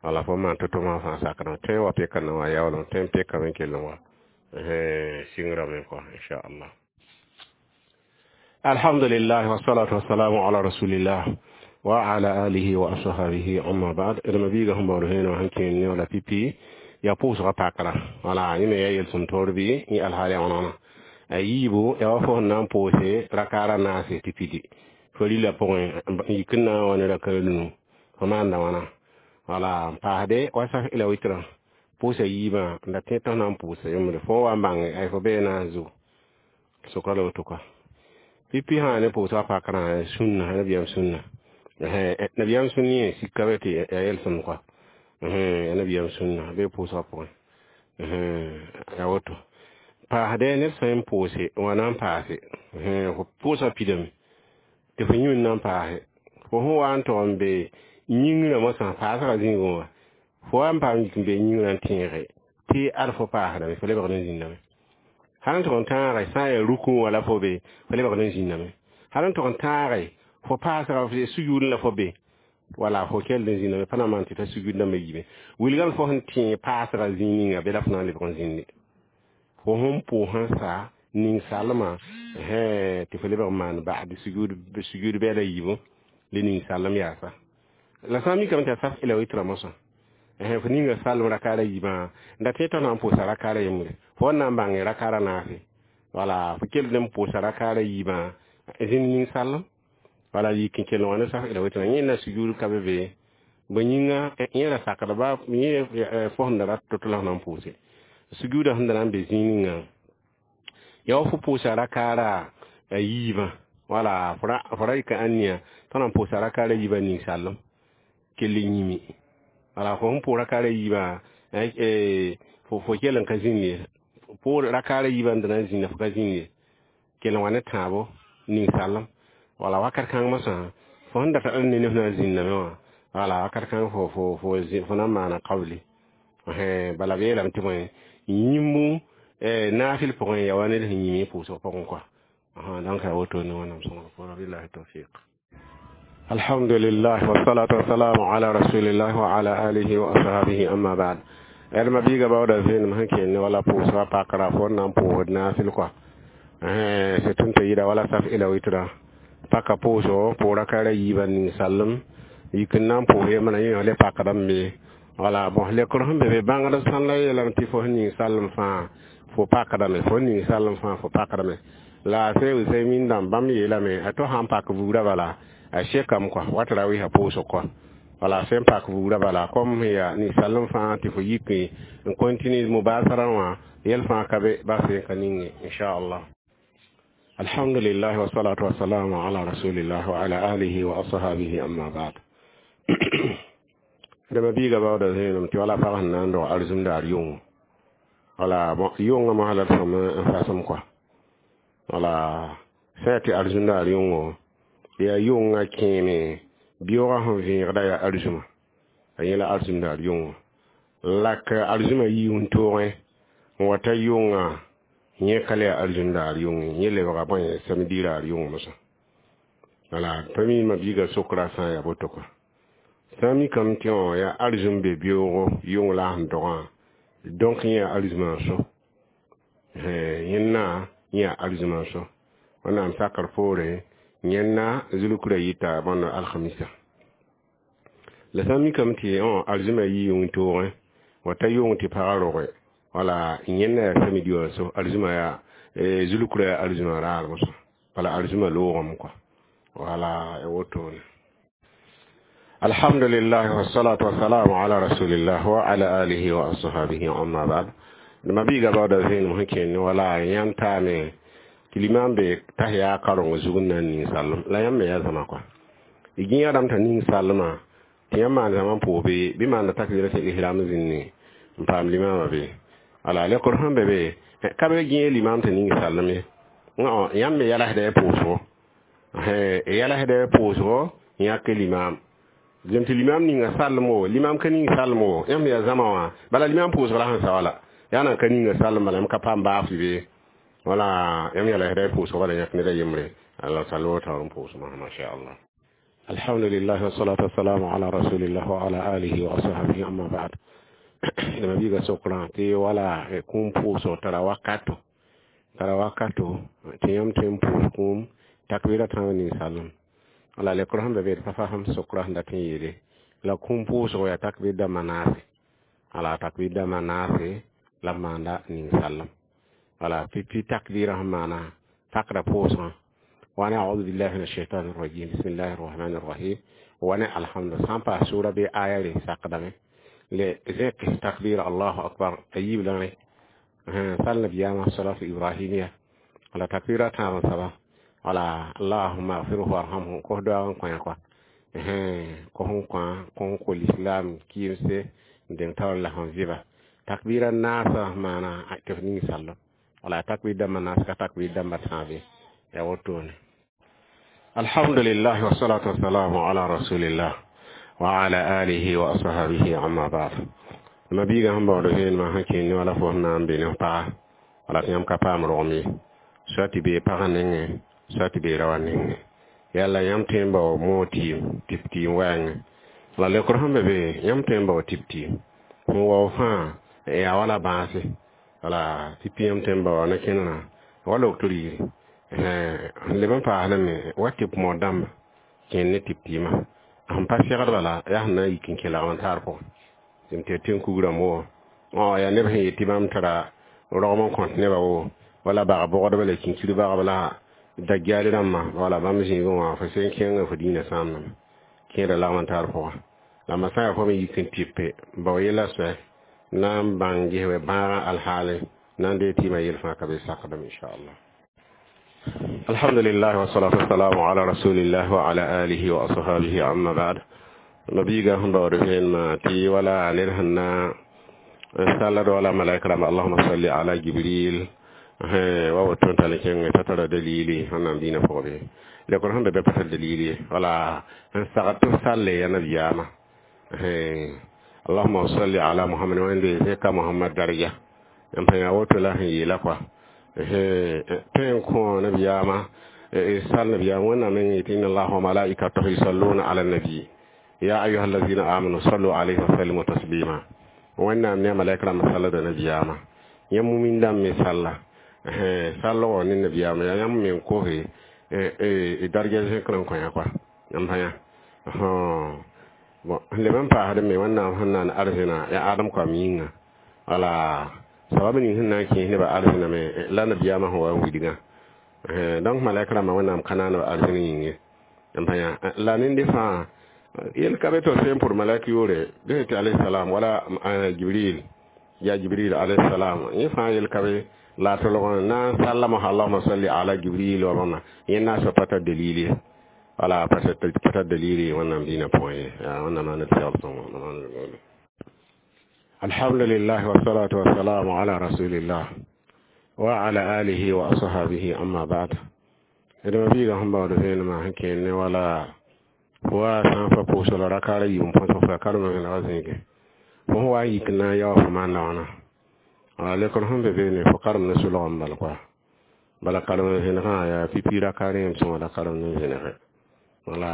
wala fo n maan to-to wã fãa sakdame tõe n wa peka na wã yaoolem tõe n pekame n kell n wa sɩngrame kɔa inchallah alhamdulillah wasalatu wassalamu ala rasulillah wa ala alihi wa ashabihi amma ba'd d mabiiga sẽn baood vẽenemã sẽn kẽen ne wala pipi yaa pʋʋsgã pakra wala yẽ me yaa yel-sõm toor bɩ yẽ alhaal yaa wãna a yiibu yaa wa fo sẽn na n pʋʋse rakaara naase tɩ pidi fo rila pʋgẽ n yik n na n wa ne raka rũnu fo maanda wãna wala n paasde wa saf ila witrã pʋʋsa yiibã n da tẽ tɩ f na n pʋʋsa yembre fo wa n bãnge ay fo bee na n zu sʋka la woto kɔa pipi sã ne pʋʋsgã pakrã sũnna nabiyaam sũnna nabiyaam sũnn yẽ sika be tɩ yaa yel-sõmd kɔa yaa nabiyaam sũnna bee pʋʋsgã pʋgẽ yaa woto paasdɛ ned sã n pʋʋse wã na n paase fo pʋʋsga pidame tɩ fo yũud na n paase fo sẽn wa n tog n be yĩngrã mosã paasgã zĩigẽ wã fo wa n paam yik n be yĩngrã n tẽege tɩ ad fo paasdame fo lebgd n zĩndame hal n tog n tãage sã n yaa rukẽ wala fo be fo lebgd n zĩndame hal n tog n tãage fo paasga sujuudẽ la fo be wala fo kell n zĩndame pa na maan tɩ t'a sujuud dãmbã yiime wilgame fo sẽn tẽ paasga zĩig ninga be la fo na n lebg n zĩnde fo sẽn pʋʋs sã sa ning-salmã tɩ fo lebg n maan ba'd sujuud sujuud bɛɛla yiibu le ning-salem yaasa la sã n mikame tɩ a saf ila witra mosã fo ninga salem rakaara yiibã n da tẽ tɩ f na n pʋʋsa rakaara yembre fo wa na n bãnge rakaara naase wala fo kell n pʋʋsa rakaara yiibã zĩnd ning-salem wala yik n kell n wa ne saf ila witra yẽ na sujuud ka be be bõe yĩnga yẽ ra sakda ba yẽ fo sẽn da rat to-to la f na n pʋʋse sujuuda sẽn da na n be zĩig ninga yaa wa fo pʋʋsa rakaara yiibã wala fo ra yika ãnniya tɩ na n pʋʋsa rakaara yiibã ning-salem kell n yĩmi wala fo sẽn pʋʋs rakaara yiibã fo fo kell n ka zĩnd ye pʋʋs rakaara yiibã n da na n zĩnda fo ka zĩnd ye kell n wa ne tãabo ning-salem wala wakat kãng mosã fo sẽn data d ne ne f na n zĩndame wã wala wakat kãng fo fo fo fo na n maana kabli bala b yeelame tɩ bõe yĩmbu naafɩl pʋgẽ yaa wa ned sẽn yĩm pʋʋsg pʋgẽ kɔa donc yaa woto ne wẽnnaam sõngr pʋʋra billahi tawfiq alhamdulillah wasalatu wassalamu ala rasulillah wa ala alihi wa ashabihi amma ba'd d mabiiga baooda vẽenem sẽn kẽen ne wala pʋʋsga pakra fo n na n pʋʋsd naafɩl kɔa sẽn tɩ yɩda wala saf ila witra paka pʋʋsgo pʋʋs rakaara yiibã ning-salem yik n na n pʋʋs yembra yẽ le pakdame be wala bon lekr sẽn be be bãngd sãn la yeelame tɩ fo sẽn ning salem fãa fo pakdame fo ning salem fãa fo pakdame la se Usaymin dãmb bãmb yeelame a to sãn pak buudã bala a sekame kɔa wat ra wɩsa pʋʋsg kɔa wala sẽn pak buudã bala kom yaa ning-salem fãa tɩ fo yik n continue mubasara wã yɛl fãa ka be bas n ka ninge inchallah alhamdulillah wasalatu wassalamu ala rasulillah wa ala alihi wa ashabihi amma ba'd dama biiga baooda zẽenem tɩ wala pag sẽn na n dog arzũm daar yʋngo wala bon yʋngã mosã la d sõm n fasem kɔa wala sã tɩ arzũm daar yʋngo yaa yʋngã kẽeme beoogã sẽn vẽegda yaa arzũma a yẽ la arzũm daar yʋngo la ka arzũmã yiis n toogẽ n wa ta yʋngã yẽ ka le yaa arzũm daar yʋng yẽ lebga bõe samedi daar yʋng mosã wala pa mi mabiiga sokra sã n yaa boto kɔa sã n mikame tɩ wã yaa arzũm be beoogo yʋng la a sẽn dogã donc yẽ yaa arzũmã n so yẽnna yẽ yaa arzũmã n so wẽnnaam sakr poore Yẽnna zulukra yita bõnd alhamisa la sã n mikame tɩ arzũma yii wĩntoogẽ wa ta yʋng tɩ pagã roge wala yẽnna yaa samedi wã so arzũma yaa zulukra yaa arzũma raar mosã wala arzũma loogame kɔa wala wotone. Alhamdulillah wassalatu wassalamu ala rasulillah wa ala alihi wa ashabihi amma ba'd. Ma biiga baooda vẽenem sẽn kẽnd wala yãmb taame tɩ limam be tahiya kareng zug n na n ning sallem la yãmb me yaa zãma kɔa y gĩiga rãmb t'a ning sallmã tɩ yãmb maan zãma n pʋʋs be bɩ maanda takbira tɩ ihram zĩnni n paam limama be wala lekr sẽn be be ka be gĩe limam tɩ ning sallem ye yãmb me yɛlsda y pʋʋsgo yɛlsda y pʋʋsgo n yãk limam zem tɩ limam ninga sallem wo limam ka ning sallem wo yãmb yaa zãma wã bala limam pʋʋsg la sẽn sa wala yaa nan ka ninga sallem bala yãmb ka paam baaf be wala yãmb yɛlsda y pʋʋsg bala yãk ned a yembre Allah sall taoor n pʋʋsmã masha Allah. Alhamdulillah wassalatu wassalamu ala rasulillah wa ala alihi wa ashabihi amma ba'd. Dama biiga sokrã tɩ wala kũum pʋʋsg tara wakato tara wakato tɩ yãmb tõe n pʋʋs kũum takbira tãab ninsaalem wala lekr sẽn be be d pa fasem sokrã sẽn dat n yeele la kũum pʋʋsg yaa takbir dãmbã naase wala takbir dãmbã naase la b maanda ninsaalem wala pipi takbirã sẽn maana pakra pʋʋsgã wane a'udhu billahi minash shaitanir rajim bismillahir rahmanir rahim wane alhamdu sã n paas sʋʋra bɩ aya re sakdame le zẽk takbir allahu akbar a yiib lãre sal nabiyaamã salatu ibrahimiya wala takbira tãab n saba wala allahumma agfirhu warhamhu kos doag n kõ kɔa kos n kõ kos n kol islam kɩɩmse n deng taoor la sẽn vɩba takbira naasã maana tɩ f ning sallem wala takbir dãmbã naas ka takbir dãmbã tãab ye yaa wotone. Alhamdulillah wassalatu wassalamu ala rasulillah wa ala alihi wa ashabihi amma ba'd. Ma biiga sẽn baood vẽenemã sẽn kẽnd wala fo sẽn na n be ne paga wala tɩ yãmb ka paam rogem ye soa tɩ bee pagã nengẽ soa tɩ bee raoã nengẽ yalla yãmb tõe n bao moog tɩɩm tɩp tɩɩm wɛɛngẽ la lekr sẽn be be yãmb tõe n bao tɩp tɩɩm sẽn wao fãa yaa wala bãase wala pipi yãmb tõe n baoa ne kẽnerã wala d yiri n leb n paasdame wa tɩp mood dãmba kẽnd ne tɩp tɩɩmã sẽn pa segd bala yaa sẽn na n yik n kẽ lagm n taar pʋgẽ tɩ tɩ tẽn kugrãmb wo yaa neb sẽn yet tɩ bãmb tara rogm n kõt nebã wo wala bag bogdba la kinkir bagb la dagyal rãmbã wala bãmb zĩigẽ wã fo sẽn kẽnga fo dĩinã sãamdame kẽeda lagm n taar pʋgã la ma sã yaa fo me yik n tɩpe bao yella soɛ na n bãng gesbe bãagã alhaale na n dee tɩɩmã yel fãa ka be sakdame inchallah. Alhamdulillah wassalatu wassalamu ala rasulillah wa ala alihi wa ashabihi amma ba'd. Ma biiga sẽn baood vẽenemã tɩ wala ned sẽn na n sallad wala malaika rãmba allahuma salli ala jibril wa woto n tall n kẽng t'a tara dalili sẽn na n dĩinã pʋgẽ be lekr sẽn be be pa tar dalili wala n sagd tɩ f salle ya nabiyaamã allahuma salli ala muhammad wẽnde zẽka muhammad daraja n pa yaa woto la sẽn yeela kɔa tõe n kõ nabiyaamã sal nabiyaam wẽnnaam meng yetɩ inna allaha wa malaikatahu yusalluna ala nabi ya ayuha allazina amanu sallu alayhi wa sallimu taslima wẽnnaam ne a malaika rãmbã sallda nabiyaamã yãmb mumin dãmb me salla sallgɔ ne nabiyaamã yaa yãmb me n kose darja zẽkr n kõ yã kɔa yãmb pa yã bon n leb n paasd me wẽnnaam sẽn na n arzẽna yaa adem koam yĩnga wala sabab ning sẽn na n kẽes nebã arzẽna me la nabiyaamã sẽn wa n wilgã donc malaika rãmbã wẽnnaam ka naanb arzẽn yĩng ye n pa yã la nende fãa yel ka be to sẽn pʋr malaik yʋʋre dẽ tɩ alayhi wala jibril ya jibril alayhi salam yẽ fãa yel ka be la tolg na n sallama allahuma salli ala jibril wa bãmba yẽ na n pa tar dalili wala pa tar dalili wẽnnaam dĩinã pʋgẽ ye wẽnnaam maana tɩ sõngo. Alhamdulillah wassalatu wassalamu ala rasulillah wa ala alihi wa ashabihi amma ba'd. D ma biiga sẽn baood vẽenemã sẽn kẽnd ne wala wa sã n fa pʋʋsg la rakaara yiib n põs f karem vẽnega zĩige fo sẽn wa n yik na n yao fo maanda wãna wala lekr sẽn be beene fo karem ne solgem bal koa bala karem vẽnegã yaa pipi rakaar yẽm sõma la karem ne vẽnege wala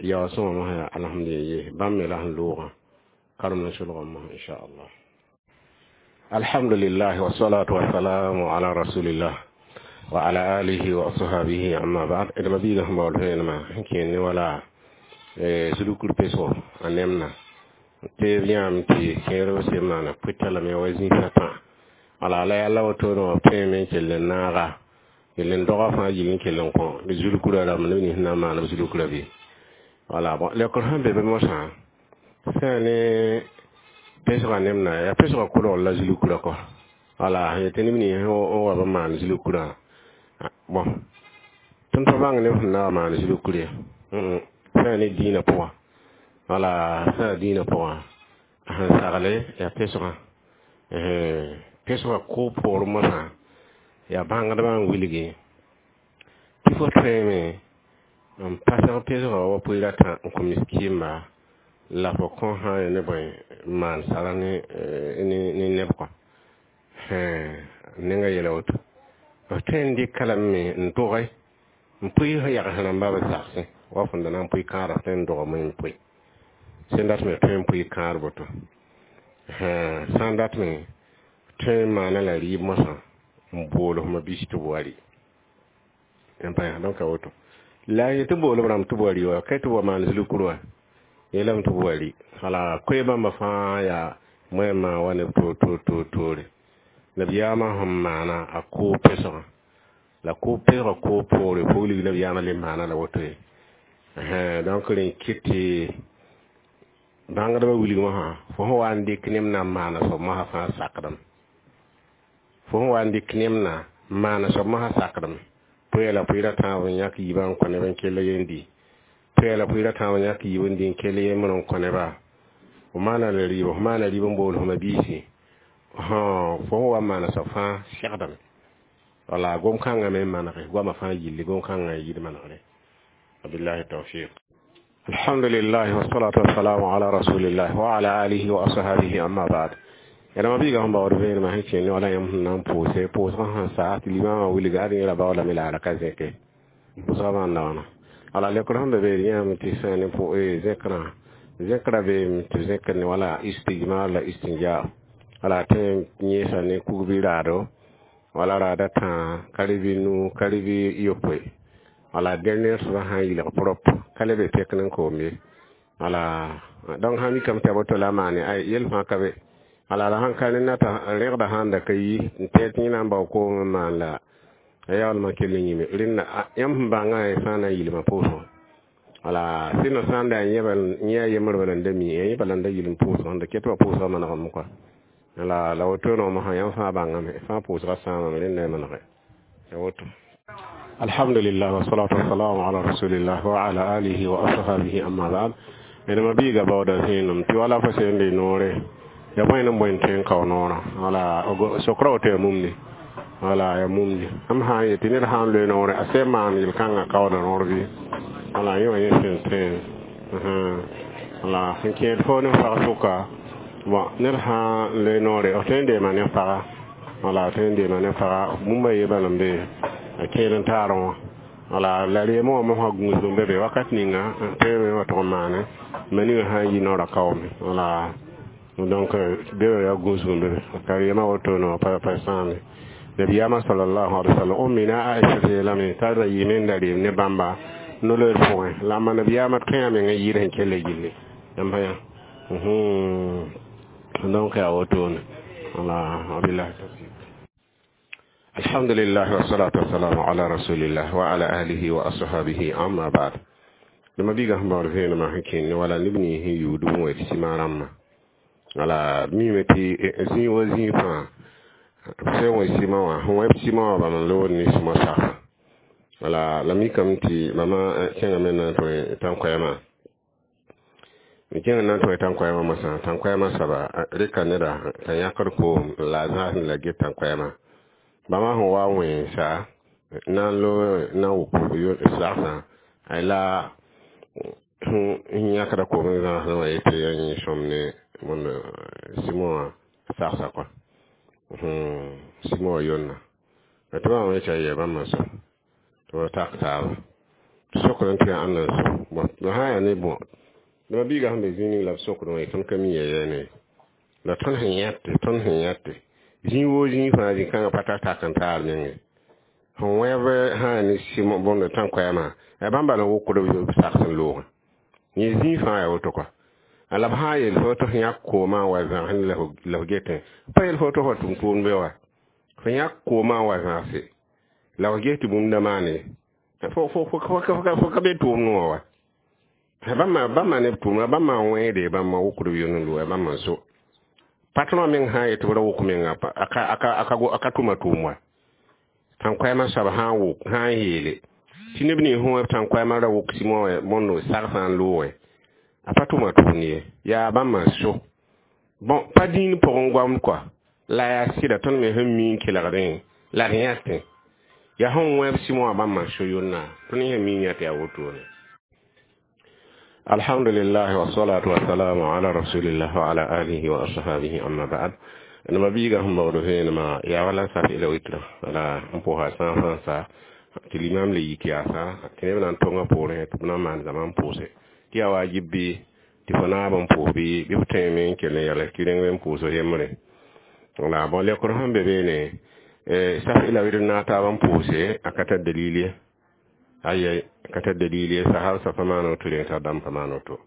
yao sõma mosã yaa alhamdulillah bãmb me la sẽn loogã karem ne solgem mosã inchallah. Alhamdulillah wassalatu wassalamu ala rasulillah. وعلى آله وأصحابه أما بعد إذا ما بيجا هم بقول ما كين ولا سلوك البيسو أنمنا تبيام تي كيرو سيمانا بيتلا مي وزني فتا على لا يلا وتونو بيمن كلنا kelen doga fãa yɩl n kell n kõ b zulkura rãmb neb nins na n maan b zulkura bɩ wala bon lekr sẽn be be mosã sã ne pesgã nemna yaa pesgã kolgr la zulkura kɔ wala yetɩ neb nins n wa b maan zulkurã bon tõnd pa bãng neb sẽn na wa maan zulkur ye sã ne dĩinã pʋgã wala sã dĩinã pʋgã sẽn sagle yaa pesgã pesgã ko poor mosã yaa bãngdbã n wilgi tɩ fo tõeme n pasg pesgã wa pʋɩɩr a tã n kõ miskiimba la fo kõ sã n ne bõe n maan sara ne ne neb kɔ nenga yɛla woto f tõe n dɩka lame n dʋge n pʋɩ yags rãmba b zagsẽ wa fõn da na n pʋɩ kãadg tõe n dogame n pʋɩ sẽn dat me tõe n pʋɩ kãad boto sã n dat me tõe n maana la rɩɩb mosã n bool f mabis tɩ b wa rɩ n pa donc a woto la a yetɩ bool b rãmb tɩ b wa rɩ wa ka tɩ b wa maan zulkur wa yeelame tɩ b wa rɩ wala koe bãmba fãa yaa moɛɛmã wa neb toor toor toor toore nabiyaamã sẽn maana a koog pesgã la koog pesgã koog poore puglig nabiyaamã le maana la woto ye donc rẽ kɩt tɩ bãngdbã wilg mosã fo sẽn wa n dɩk neb na n maana soab mosã fãa sakdame fo sẽn wa n dɩk neb na n maana soab mosã sakdame pʋɩ la pʋɩɩra tãab n yãk yiibã n kõ neb n kell yen di pʋɩ la pʋɩɩra tãab n yãk yiib n di n kell yembr n kõ neba fo maana la rɩɩb fo maana rɩɩb n bool fo biisi fo sẽn wa n maana soab fãa segdame wala gom-kãngã me n manege goamã fãa yilli gom-kãngã n yid manegre wabillahi tawfiq alhamdulillah wassalatu wassalamu ala rasulillah wa ala alihi wa ashabihi amma ba'd yãmb biiga sẽn baood vẽenemã sẽn kẽnd wala yãmb sẽn na n pʋʋse pʋʋsgã sẽn sa tɩ limaamã wilga ad yẽla baoolame la a ra ka zẽke pʋʋsgã maanda wãna wala lekr sẽn be beed yãame tɩ sã ne zẽkrã zẽkrã beeme tɩ zẽkr ne wala istijmar la istinja wala tõe n yẽesa ne kug bɩ raado wala raada tãa ka rɩ bɩ nu ka rɩ bɩ yopoe wala dernier soaba sã n yɩlg prop ka le be pek n koom ye wala donc sã mikame tɩ a boto la a maane ay yel fãa ka be ala la sãn ka ne nata rẽgda sãn da ka yi n tɛɛ tɩ yẽ na n bao koom n maan la a yaoolmã kell n yĩme rẽnda yãmb sẽn bãngã fãa na n yilmã pʋʋsgã wala sɩnã sã n da yẽ a yembr bala n da mi yẽ bala n da yil n pʋʋsg n da ket wa pʋʋsgã manegame kɔa la la woto noomã yãmb fãa bãngame fãa pʋʋsgã sãamame rẽnda y manege ya woto alhamdulillah wassalatu wassalamu ala rasulillah wa ala alihi wa ashabihi amma ba'd ẽdma biiga baooda zẽenem tɩ wala fo sẽn de noore ya bõe n bõe n tõe n kao noorã wala sokra woto ya mumde wala ya mumde am sã n yetɩ ned sã n loe noore a sẽn maan yel-kãngã kaooda noor bɩ wala yẽ wã yẽ sẽn tõe wala sẽn kẽed fo ne pag sʋka bon ned sã n loe noore f tõe n deema ne paga wala tõe n deema ne paga bũmba ye bala n be a kẽed n taarẽ wã wala la reemã wã mosã gũusg n be be wakat ninga tõe wa tʋg n maane ma ninga sã n yi noorã kaoome wala donc be yaa gũusg n be be ka reemã woto no pa pa sãame nabiyaamã salallahu alaihi wasallam o mina Aisha yeelame t'a ra yɩɩme n da reem ne bãmba no-loeer pʋgẽ la a nabiyaamã tõe a meng n yɩɩd sẽn kell gilli yãmb yã donc yaa wotone wala wabillahi tawfiq alhamdulillah wassalatu wassalamu ala rasulillah wa ala alihi wa ashabihi amma ba'd dama biiga sẽn baood vẽenemã sẽn kẽnd wala neb nins sẽn yuud n wa tɩ sɩma rãmbã wala mime tɩ zĩig wa zĩig fãa sẽn wẽ sɩma wã sẽn wẽb sɩma wã bala n lood ne sɩma sagsa wala la mikame tɩ mama kẽngame na n tõe tãn-koɛɛmã n kẽng na n tõe tãn-koɛɛmã mosã tãn-koɛɛmã soaba rɩka neda t'a yãkd koom la a zãasẽ la get tãn-koɛɛmã bãmba sẽn wa n wẽnsa na n loog na n wʋk sagsã ay la sẽn yãkda koom n zãasdẽ wã yetɩ yaa yẽ sõm ne wẽnd sɩma wã sagsa kɔa sɩma wã yonna tɩ bãmb yetɩ ya bãmb n so tɩ b tak taaba tɩ sokd n tɩ yaa ãnda n so bõn la sã n yaa ne bõ dama biiga sẽn be zĩig ning la b sokd wã tõnd ka mi ya yɛɛne la tõnd sẽn yãte tõnd sẽn yãte zĩig woo zĩig fãa zĩ-kãngã pa tar tak n taar menge Sẽn wẽb sã ne sɩm bõnd tãn-koɛɛmã yaa bãmb bala n wokd b sags n loogã yẽ zĩig fãa yaa woto kɔa la b sã n yeel fo tɩ f yãk koomã n wa zãgs la f getẽ pa yeel fo tɩ f tʋm tʋʋmd be wa f yãk koomã n wa zãgse la f ges tɩ bũmb da maane fo ka be tʋʋmd wã wa bãmba bãmba ne b tʋʋmda bãmba n wẽede bãmba wokd b yond n looga bãmba n so patron meng sã n yet tɩ b ra wok menga a ka tʋma tʋʋm wa tãn-koɛɛmã soab sã n wok sã n yeele tɩ neb nins sẽn wẽ tãn-koɛɛmã ra wok sɩmõ bõndo sagsã n loogẽ a pa tʋma tʋʋmd ye yaa bãmba n so bõn pa dĩin pʋgẽ goamd kɔa la yaa sɩda tõnd me sẽn mi n kelgdẽ la d yãtẽ yaa sẽn wẽb sɩmõ wã bãmba n so yonna tõnd sẽn mi n yã tɩ yaa wotone alhamdulillah wassalatu wassalamu ala rasulillah wa ala alihi wa ashabihi amma ba'd nima biiga sẽn baood vẽenemã yaa wala saf ila witra wala n pʋsa sã sã sa tɩ limam le yik yaasa tɩ neb na n tonga poorẽ tɩ b na n maan zãma n pʋʋse tɩ yaa wajib bɩ tɩ fo naab n pʋʋs bɩ bɩ f tõeme n kell n yals tɩ rẽng n pʋʋs yembre wala bõn lekr sẽn be beene saf ila witr naag taab n pʋʋse a ka tar dalil ye aya ka tar dalil ye sahab sa pa maan woto reng t'a dãmb pa maan woto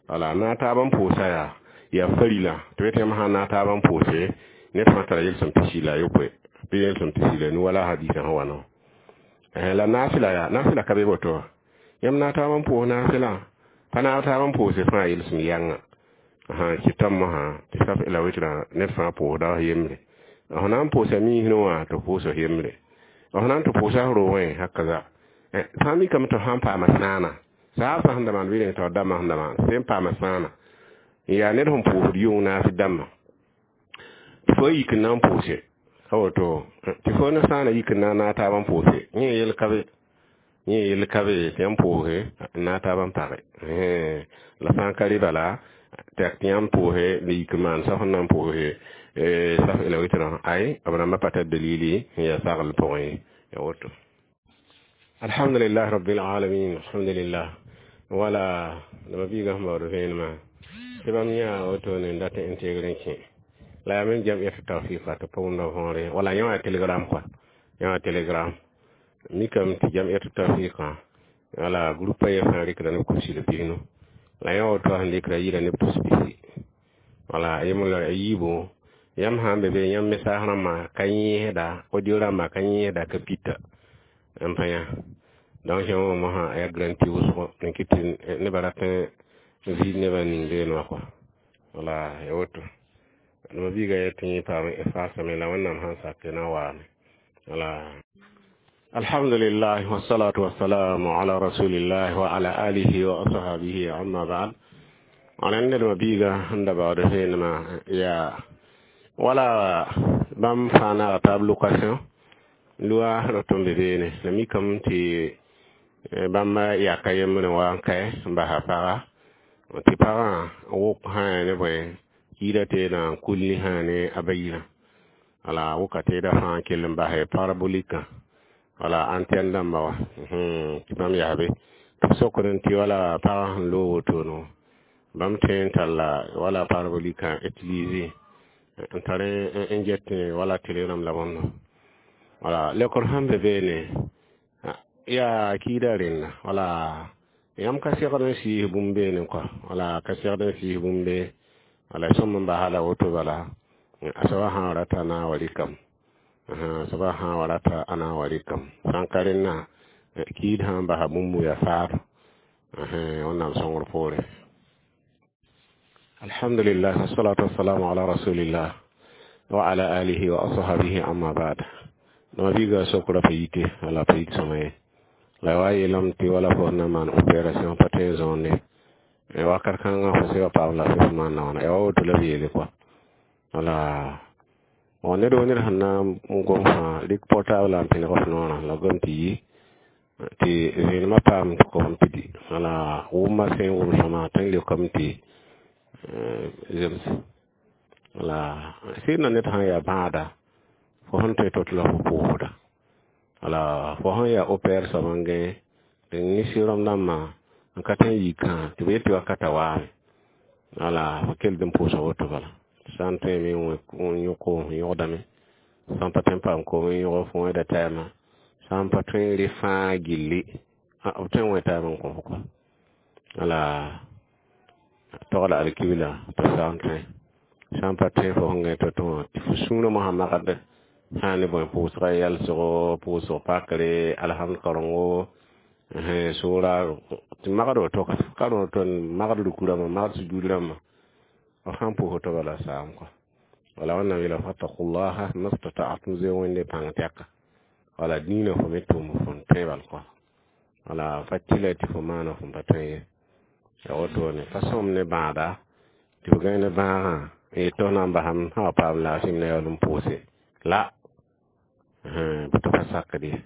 wala naag taab n pʋʋsa yaa yaa farila tɩ b yetɩ yãmb sã n naag taab n pʋʋse ned fãa tara yel-sõm pisi la a yopoe bɩ yel-sõm pisi la nu wala hadisã sẽn wa no la naafɩla yaa naafɩla ka be woto wa yãmb naag taab n pʋʋs naafɩlã pa naag taab n pʋʋse fãa yel-sõm yãnga kɩtame mosã tɩ saf la witrã ned fãa pʋʋsda f yembre f na n pʋʋsa miisẽ wã tɩ pʋʋs f yembre f na n tɩ pʋʋsa f roogẽ hakaza fãa mikame tɩ f sãn paama sãana saab sã sẽn da maan bɩ reng tɩ f dãmbã sẽn da maan sẽn paama sãana n yaa ned sẽn pʋʋsd yʋng naafɩ dãmbã tɩ fo yik n na n pʋʋse ka woto tɩ fo ne sãana yik n na n naag taab n pʋʋse yẽ yel ka be yẽ yel ka be tɩ yãmb pʋʋse n naag taab n page la sã n ka rɩ bala tɩ yãmb pʋʋse n yik n maan sã sẽn na n pʋʋse saf ila witrã ay b rãmbã pa tar dalili n yaa sagl pʋgẽ ye ya woto alhamdulillah rabbil alamin alhamdulillah wala dama biiga sẽn baood vẽenemã tɩ bãmb yã wotone n dat n teegr n kẽ la yaa me jam'iyat tawfiqa tɩ pa wʋmda võore wala yã wã telegram kɔa yã wã telegram mikame tɩ jam'iyat tawfiqã wala groupe a ye fãa rɩkda neb kʋbsi la pisnu la yã woto sẽn rɩkda yɩɩda neb tus pisi wala yemla a yiibu yãmb sã n be be yãmb message rãmbã ka yẽesda audio rãmbã ka yẽesda ka pita n pa yã donc yã wã mosã yaa garanti wʋsgo n kɩt tɩ nebã rat n viid nebã ning beene wã kɔa wala ya woto dama biiga yet tɩ yẽ paam efasame la wẽnnaam sãn sak na n waame wala alhamdulillah wassalatu wassalamu ala rasulillah wa ala alihi wa ashabihi amma ba'd rẽnd nedma biiga sẽn da baood vẽenemã yaa wala bãmb fãa naaga taab location lʋa rot n be beene la mikame tɩ bãmb yaka yembre n wa n kae n basa paga tɩ pagã wʋk sã ne bõe kiida teedã n kulni sã ne a bayirã wala wʋka teedã fãa n kell n basɛ parabolikã wala antenne dãmba wa tɩ bãmb yaa be tɩ b sokd tɩ wala pagã sẽn loog wotono bãmb tõe n talla wala parabolikã utiliser n tar n get wala télé rãmb la bõndo wala lekr sẽn be beene yaa kiida rẽnda wala yãmb ka segd n sɩɩs bũmb beene kɔa wala ka segd n sɩɩs bũmb be wala sõm n basa la woto bala a soaba sã n rata na n wa rɩkame a soaba sã n wa rata a na n wa rɩkame sã n ka rẽnna kiid sã n basa bũmb yaa faado wẽnnaam sõngr poore alhamdulillah wassalatu wassalamu ala rasulillah wa ala alihi wa ashabihi amma ba'd dama biiga sokra pa yite wala pa yit sõma ye la wa yeelame tɩ wala fo na n maan opération pa tõe n zõonde wakat kãngã fo sega paam la fo maan wãna ya wa woto la b yeele kɔa wala bon ned wo ned sẽn na n gom fãa rɩk portable n pẽneg f noorã la gom tɩ yi tɩ vẽenemã paam tɩ kom pidi wala wʋmã sẽn wʋm sõma tõe n leokame tɩ zems wala sɩd na ned sã n yaa bãada fo sẽn tõe tot la fo pʋʋsda wala fo sẽn yaa opɛr soab n gãe tɩ nisɩ rãmb dãmbã n ka tõe n yikã tɩ b yet tɩ wakata waame wala fo kell n pʋʋsa woto bala sã n tõeme n yõ koom n yõgdame sã n pa tõe n paam koom n yõg fo wẽda taɛmã Sã n pa tõe n rɩ fãa gilli, b tõe n wẽ taab n kõ fo kɔ. Wala togla alkibla tɩ sã n tõe, sã n pa tõe fo sẽn gãe to-to wã tɩ fo sũurã mosã magd sã ne bõe pʋʋsga yɛlsgo, pʋʋsg pakre, alhamd karengo, sʋʋra tɩ magd woto ka rõor tɩ magd ruku rãmbã, magd sujud rãmbã, f sãn pʋʋs woto bala saam kɔ. Wala Wẽnnaam yeela fattaqullaha mastata'tum, zoe Wẽnde pãng tɛka. Wala dĩinã fo me tʋʋm fõn tõe bal kɔ. Wala fa tɩla tɩ fo maana fõn pa tõe ye. Ya wotone pa sõm ne bãada tɩ f gãe ne bãagã n yet tɩ f na n basame sã wa paam laafɩ m na yaool n pʋʋse la bɩ tɩ pa sakd ye.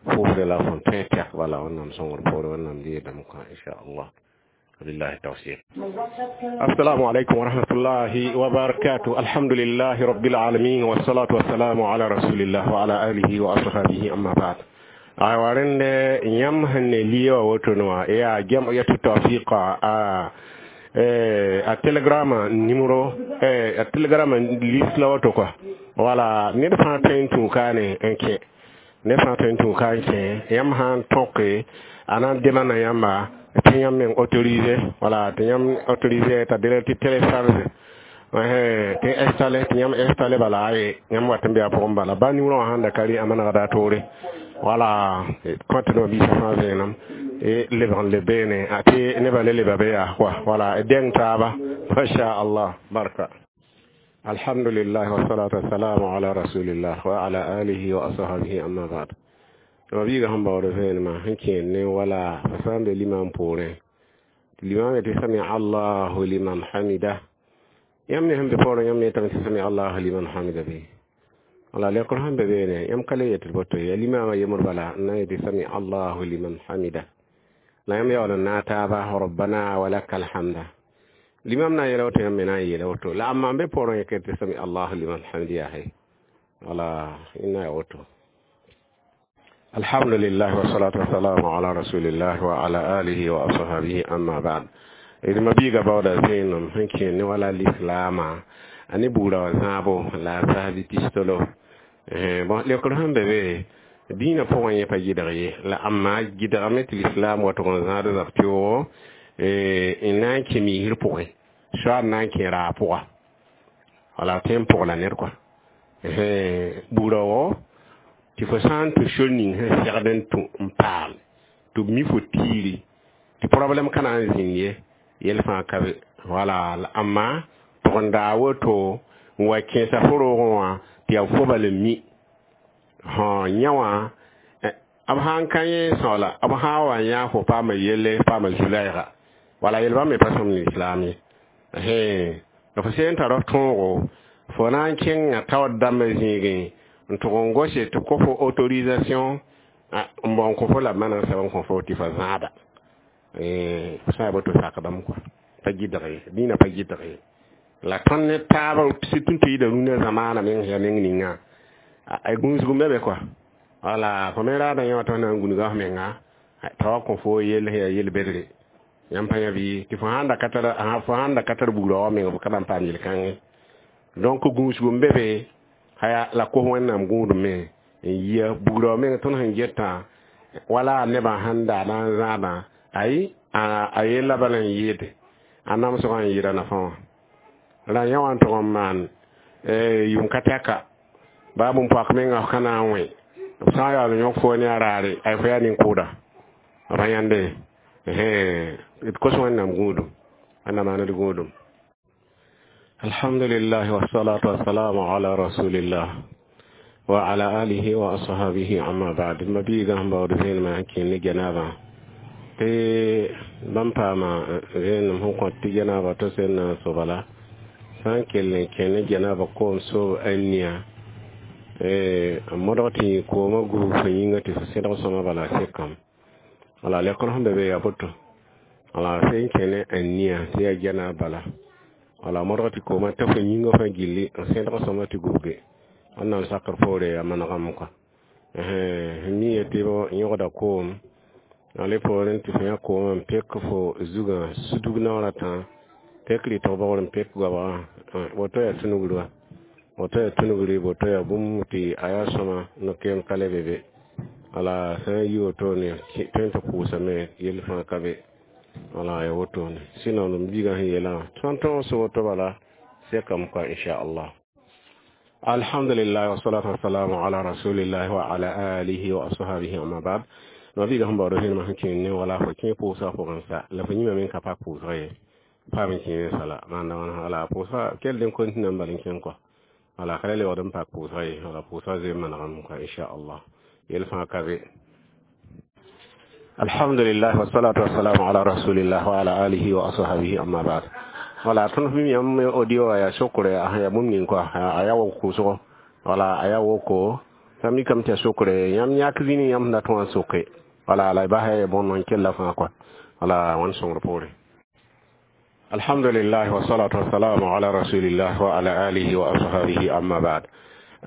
Pʋʋsdã la fõn tõe tɛk bala Wẽnnaam sõngr poore, Wẽnnaam deedame kõ inchallah. وبالله التوفيق. السلام عليكم ورحمة الله وبركاته. الحمد لله رب العالمين والصلاة والسلام على رسول الله وعلى آله وأصحابه أما بعد. Aywa, rẽnd yãmb sẽn ne lia wã wotone wã yaa jam'iyatu tawfiqa a a Telegram numéro, a Telegram liste la woto quoi. Wala ned fãa tõe n tũ kaane n kẽ, ned fãa tõe n tũ ka n kẽ. Yãmb sã n tõke a na n demanda yãmba tɩ yãmb meng autorisé, wala tɩ yãmb autorisé t'a dɩ tɩ télécharge tɩ installé, tɩ yãmb installé bala aye yãmb wat n be a pʋgẽ bala ba numéro wã sãn da ka rɩ a manegda a toore. Wala compte no biisã fãa vẽenem e lebg n leb beene a tɩ nebã le leba be yaa quoi. Wala dẽng taaba, masha Allah, barka. Alhamdulillah wassalatu wassalamu ala rasulillah wa ala alihi wa ashabihi amma ba'd. Ma biiga sẽn baood vẽenemã sẽn kẽed ne wala fa sã n be limam poorẽ tɩ limam tɩ sami allahu liman hamida, yãmb ne sẽn be poorẽ yãmb yetame tɩ sami allahu liman hamida bɩ wala lekr sẽn be beene yãmb ka le yetɩ boto ya limama yembr bala n na n yetɩ sami allahu liman hamida la yãmb yaool n naag taaba rabbana wa laka alhamda. Limam na n yeela woto, yãmb me na n yeela woto la amma n be poorẽ yẽk tɩ sami allahu liman hamida yaa he wala ina ya woto. الحمد لله والصلاة والسلام على رسول الله وعلى آله وأصحابه أما بعد. D ma-biiga baooda vẽenem sẽn kẽer ne wala lislaamã a ne buudã wã zãabo la a zahabi pistolo. Bon, leokr sẽn be be dĩinã pʋgẽ yẽ pa gɩdg ye la amma gɩdgame tɩ lislaam wa tʋg n zãad zab tɩoogo n na n kẽ miisr pʋgẽ, soaad na n kẽ raag pʋga wala tõe n pʋgla ned kɔa buudã wɔ tɩ fo sã n tũ sor ning sẽn segd n tũ n paam tɩ b mi fo tiiri tɩ problème ka na n zĩnd ye yɛl fãa ka be. Wala la amma tʋg n daa woto n wa kẽesa fo roogẽ wã tɩ yaa fo bal n mi sã yã wã b sã n ka yẽ sõgla b sã n wa yã fo paama yelle paama zu-laɛɛga wala yel bãmb me pa sõmd lislaam ye. La fo sẽn tar f tõogo fo na n kẽnga taood dãmbã zĩigẽ n tʋg n gose tɩ kõ fo autorisation n bao n kõ fo la b maneg sɛb n kõ fo tɩ fa zãada sã ya boto sakdame kɔa pa gɩdg ye dĩinã pa gɩdg ye la tõnd ne taab surtout tɩ yida rũnã zamaana meng ya meng ninga a gũusg n be be kɔa. Wala fo me raadã yã wã tɩ f na n gũnga f menga t'a wa kõ fo yell sẽn yaa yel-bedre yãmb pa yã bɩ tɩ fo sãn da ka tar fo sãn da ka tar buudã wa meng f ka na n paam yel-kãngẽ. Donc gũusg n be be haya la kos Wẽnnaam gũudum me n yia buudã wã meng tõnd sẽn getã wala nebã sẽn da na n zãadã ayi a yella bala n yɩɩde a namsgã n yɩɩda nafã wã la yã wã n tʋg n maan yʋm ka tɛka baa bũmb-poak menga f ka na n wẽ b sã n yaool n yõk fo ne a raare ay fo yaa nin-kʋʋda ra yãnde d kos Wẽnnaam gũudum Wẽnnaam maan d gũudum. Alhamdulillah wassalatu wassalamu ala rasulillah wa ala alihi wa ashabihi amma ba'd. Ma biiga sẽn baood vẽenemã sẽn kẽ ne janaba tɩ bãmb paama vẽenem sẽn kõt tɩ janaba to sẽn na n so bala sã n kell n kẽ ne janaba koom soob a nia n modg tɩ yẽ koomã gubg fo yĩnga tɩ fo sẽdg sõma bala sekame. Wala lekr sẽn be be yaa boto wala sẽn kẽ ne a nia tɩ yaa janab bala wala modg tɩ koomã ta fo yĩngã fãa gilli n sẽdg sõma tɩ gubge Wẽnnaam sakr poore yaa manegame kɔa mi tɩ yõgda koom ale poorẽ tɩ fo yã koomã n pek fo zugã sudg naoor a tã pek rɩtg bogr n pek goabgã woto yaa tũnugr wa woto yaa tũnugri woto yaa bũmb tɩ a yaa sõma no-keem ka le be be. Wala sã n yi wotone tõe n tɩ pʋʋsame yell fãa ka be. Wala ya wotone sinon m biigã sẽn yeelã tõnd tõog sʋ woto bala sekame kɔa inchallah. Alhamdulillah wassalatu wassalamu ala rasulillah wa ala alihi wa ashabihi amma ba'd. Ma biiga sẽn baood vẽenemã sẽn kẽe ne wala fo kẽ pʋʋsga pʋgẽ sa la fo yĩma me n ka pak pʋʋsga ye paam n kẽe sala maanda wãna wala pʋʋsga kell n continue n bal n kẽng kɔa wala ka le lebgd n pak pʋʋsga ye wala pʋʋsga zoe n manegame kɔa inchallah yell fãa ka be. Alhamdulillah wassalatu wassalamu ala rasulillah wa ala alihi wa ashabihi amma ba'd. Wala tõnd fim yãmb audio ya sokre a ya bũmb ning kɔa a ya wok kʋʋsgo wala a ya woko t'a mikame tɩ ya sokre yãmb yãk zĩni yãmb sẽn dat wã n soke wala la y basa ya bõn n kella fãa kɔa wala wãn sõngr poore. Alhamdulillah wassalatu wassalamu ala rasulillah wa ala alihi wa ashabihi amma ba'd.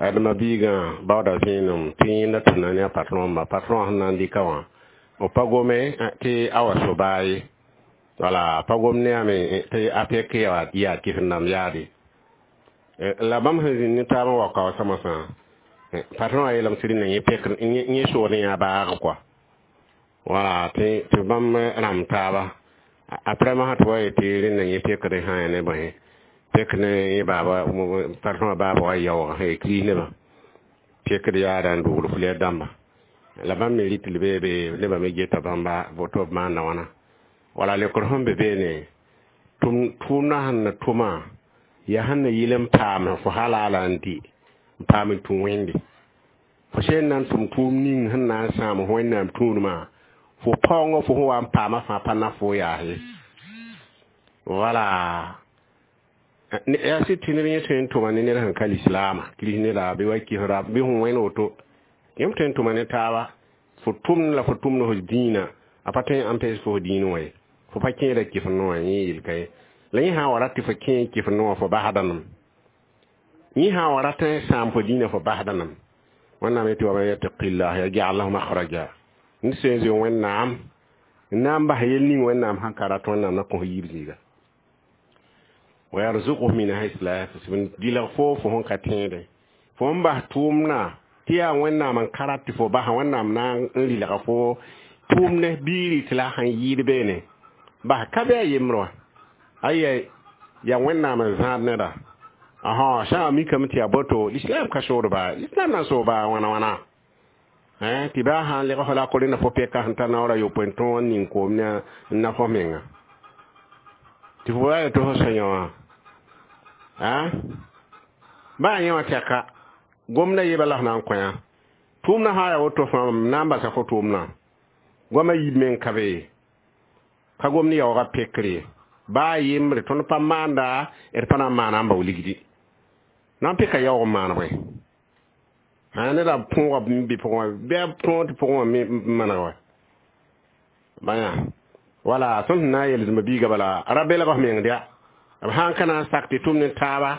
Adma biigã baooda vẽenem tɩ yẽnda tɩ na ne a patron ma patron sẽn na n dɩka wã b pa gome tɩ a wa so baa ye wala pa gom ne yame tɩ a pek yaa yaa kɩs-n-dãmb yaade la bãmb sẽn zĩnd ne taab n wa kao samsã patron a yeelame tɩ rẽnda yẽ pek yẽ sood n yaa baag kɔa wala tɩ tɩ bãmb rãmb taaba après masã tɩ wa yetɩ rẽnda yẽ pekd sã ya ne bõe pek ne yẽ baaba patron baaba wa yaoog sẽn kris nebã pekd yaada n dogd fulɛr dãmba la bãmb me rɩt l bee be nebã me geta bãmba voto b maanda wãna wala lekr sẽn be beene tʋʋmdã sẽn na tʋmã yaa sẽn na yɩl n paam fo halala n dɩ n paam n tũ wẽnde fo sẽn na n tʋm tʋʋm ning sẽn na n sãam wẽnnaam tũudmã fo paoongã fo sẽn wa n paama fãa pa na fo yaas ye wala yaa sɩd tɩ neb yẽ tõe n tʋma ne ned sẽn ka lislaama kris neda bɩ wa kɩsra bɩ sẽn wẽn woto yãmb tõe n tʋma ne taaba fo tʋmd la fo tʋmd f dĩinã a pa tõe n empêche fo f dĩin wã ye fo pa kẽeda kɩs noã yẽ yel ka ye la yẽ sã n wa rat tɩ fo kẽ kɩs noã fo basda nem yẽ sã n wa rat n sãam fo dĩinã fo basda nem wẽnnaam yetɩ wa man yattaqillah yaj'al lahu makhraja ned sẽn zoe wẽnnaam n na n bas yel ning wẽnnaam sãn ka rat wẽnnaam na kõ yiib zĩiga wa yarzuquhu min haythu la yahtasib dɩlg fo fo sẽn ka tẽede fo n bas tʋʋmdã tɩ yaa wẽnnaam n ka rat tɩ fo basa wẽnnaam na n rɩlga fo tʋʋmdẽ biiri tɩ la sãn yɩɩd beene bas ka bɩ a yembre wã aya ya wẽnnaam n zãad neda ãsã sã n mikame tɩ yaa boto lislaam ka sood baa lislaam na n soog baa wãna wãna tɩ baa sã n leg fo la ko rẽnda fo pɛka sẽn tar naoor a yopoe n tõog n ning koom ne n na fo menga tɩ fo wa tɩ fo sã yã wã baa yẽ wã tɛka gomda yeba la f na n kõ yã tʋʋmdã sã n yaa woto fãa m na n basa fo tʋʋmdã goamã yib meng ka be ka gomd yaoogã pekre baa yembre tõnd pa maanda d pa na n maana n bao ligdi na n peka yaoog n maan bõe neda põoga n bɩ pʋgẽ wã bɩ a tõog tɩ pʋgẽ wã me maneg wa bãyã wala tõnd sẽn na n yel biiga bala ra belg f meng dɩa b sã n ka na n sak tɩ tʋm ne taaba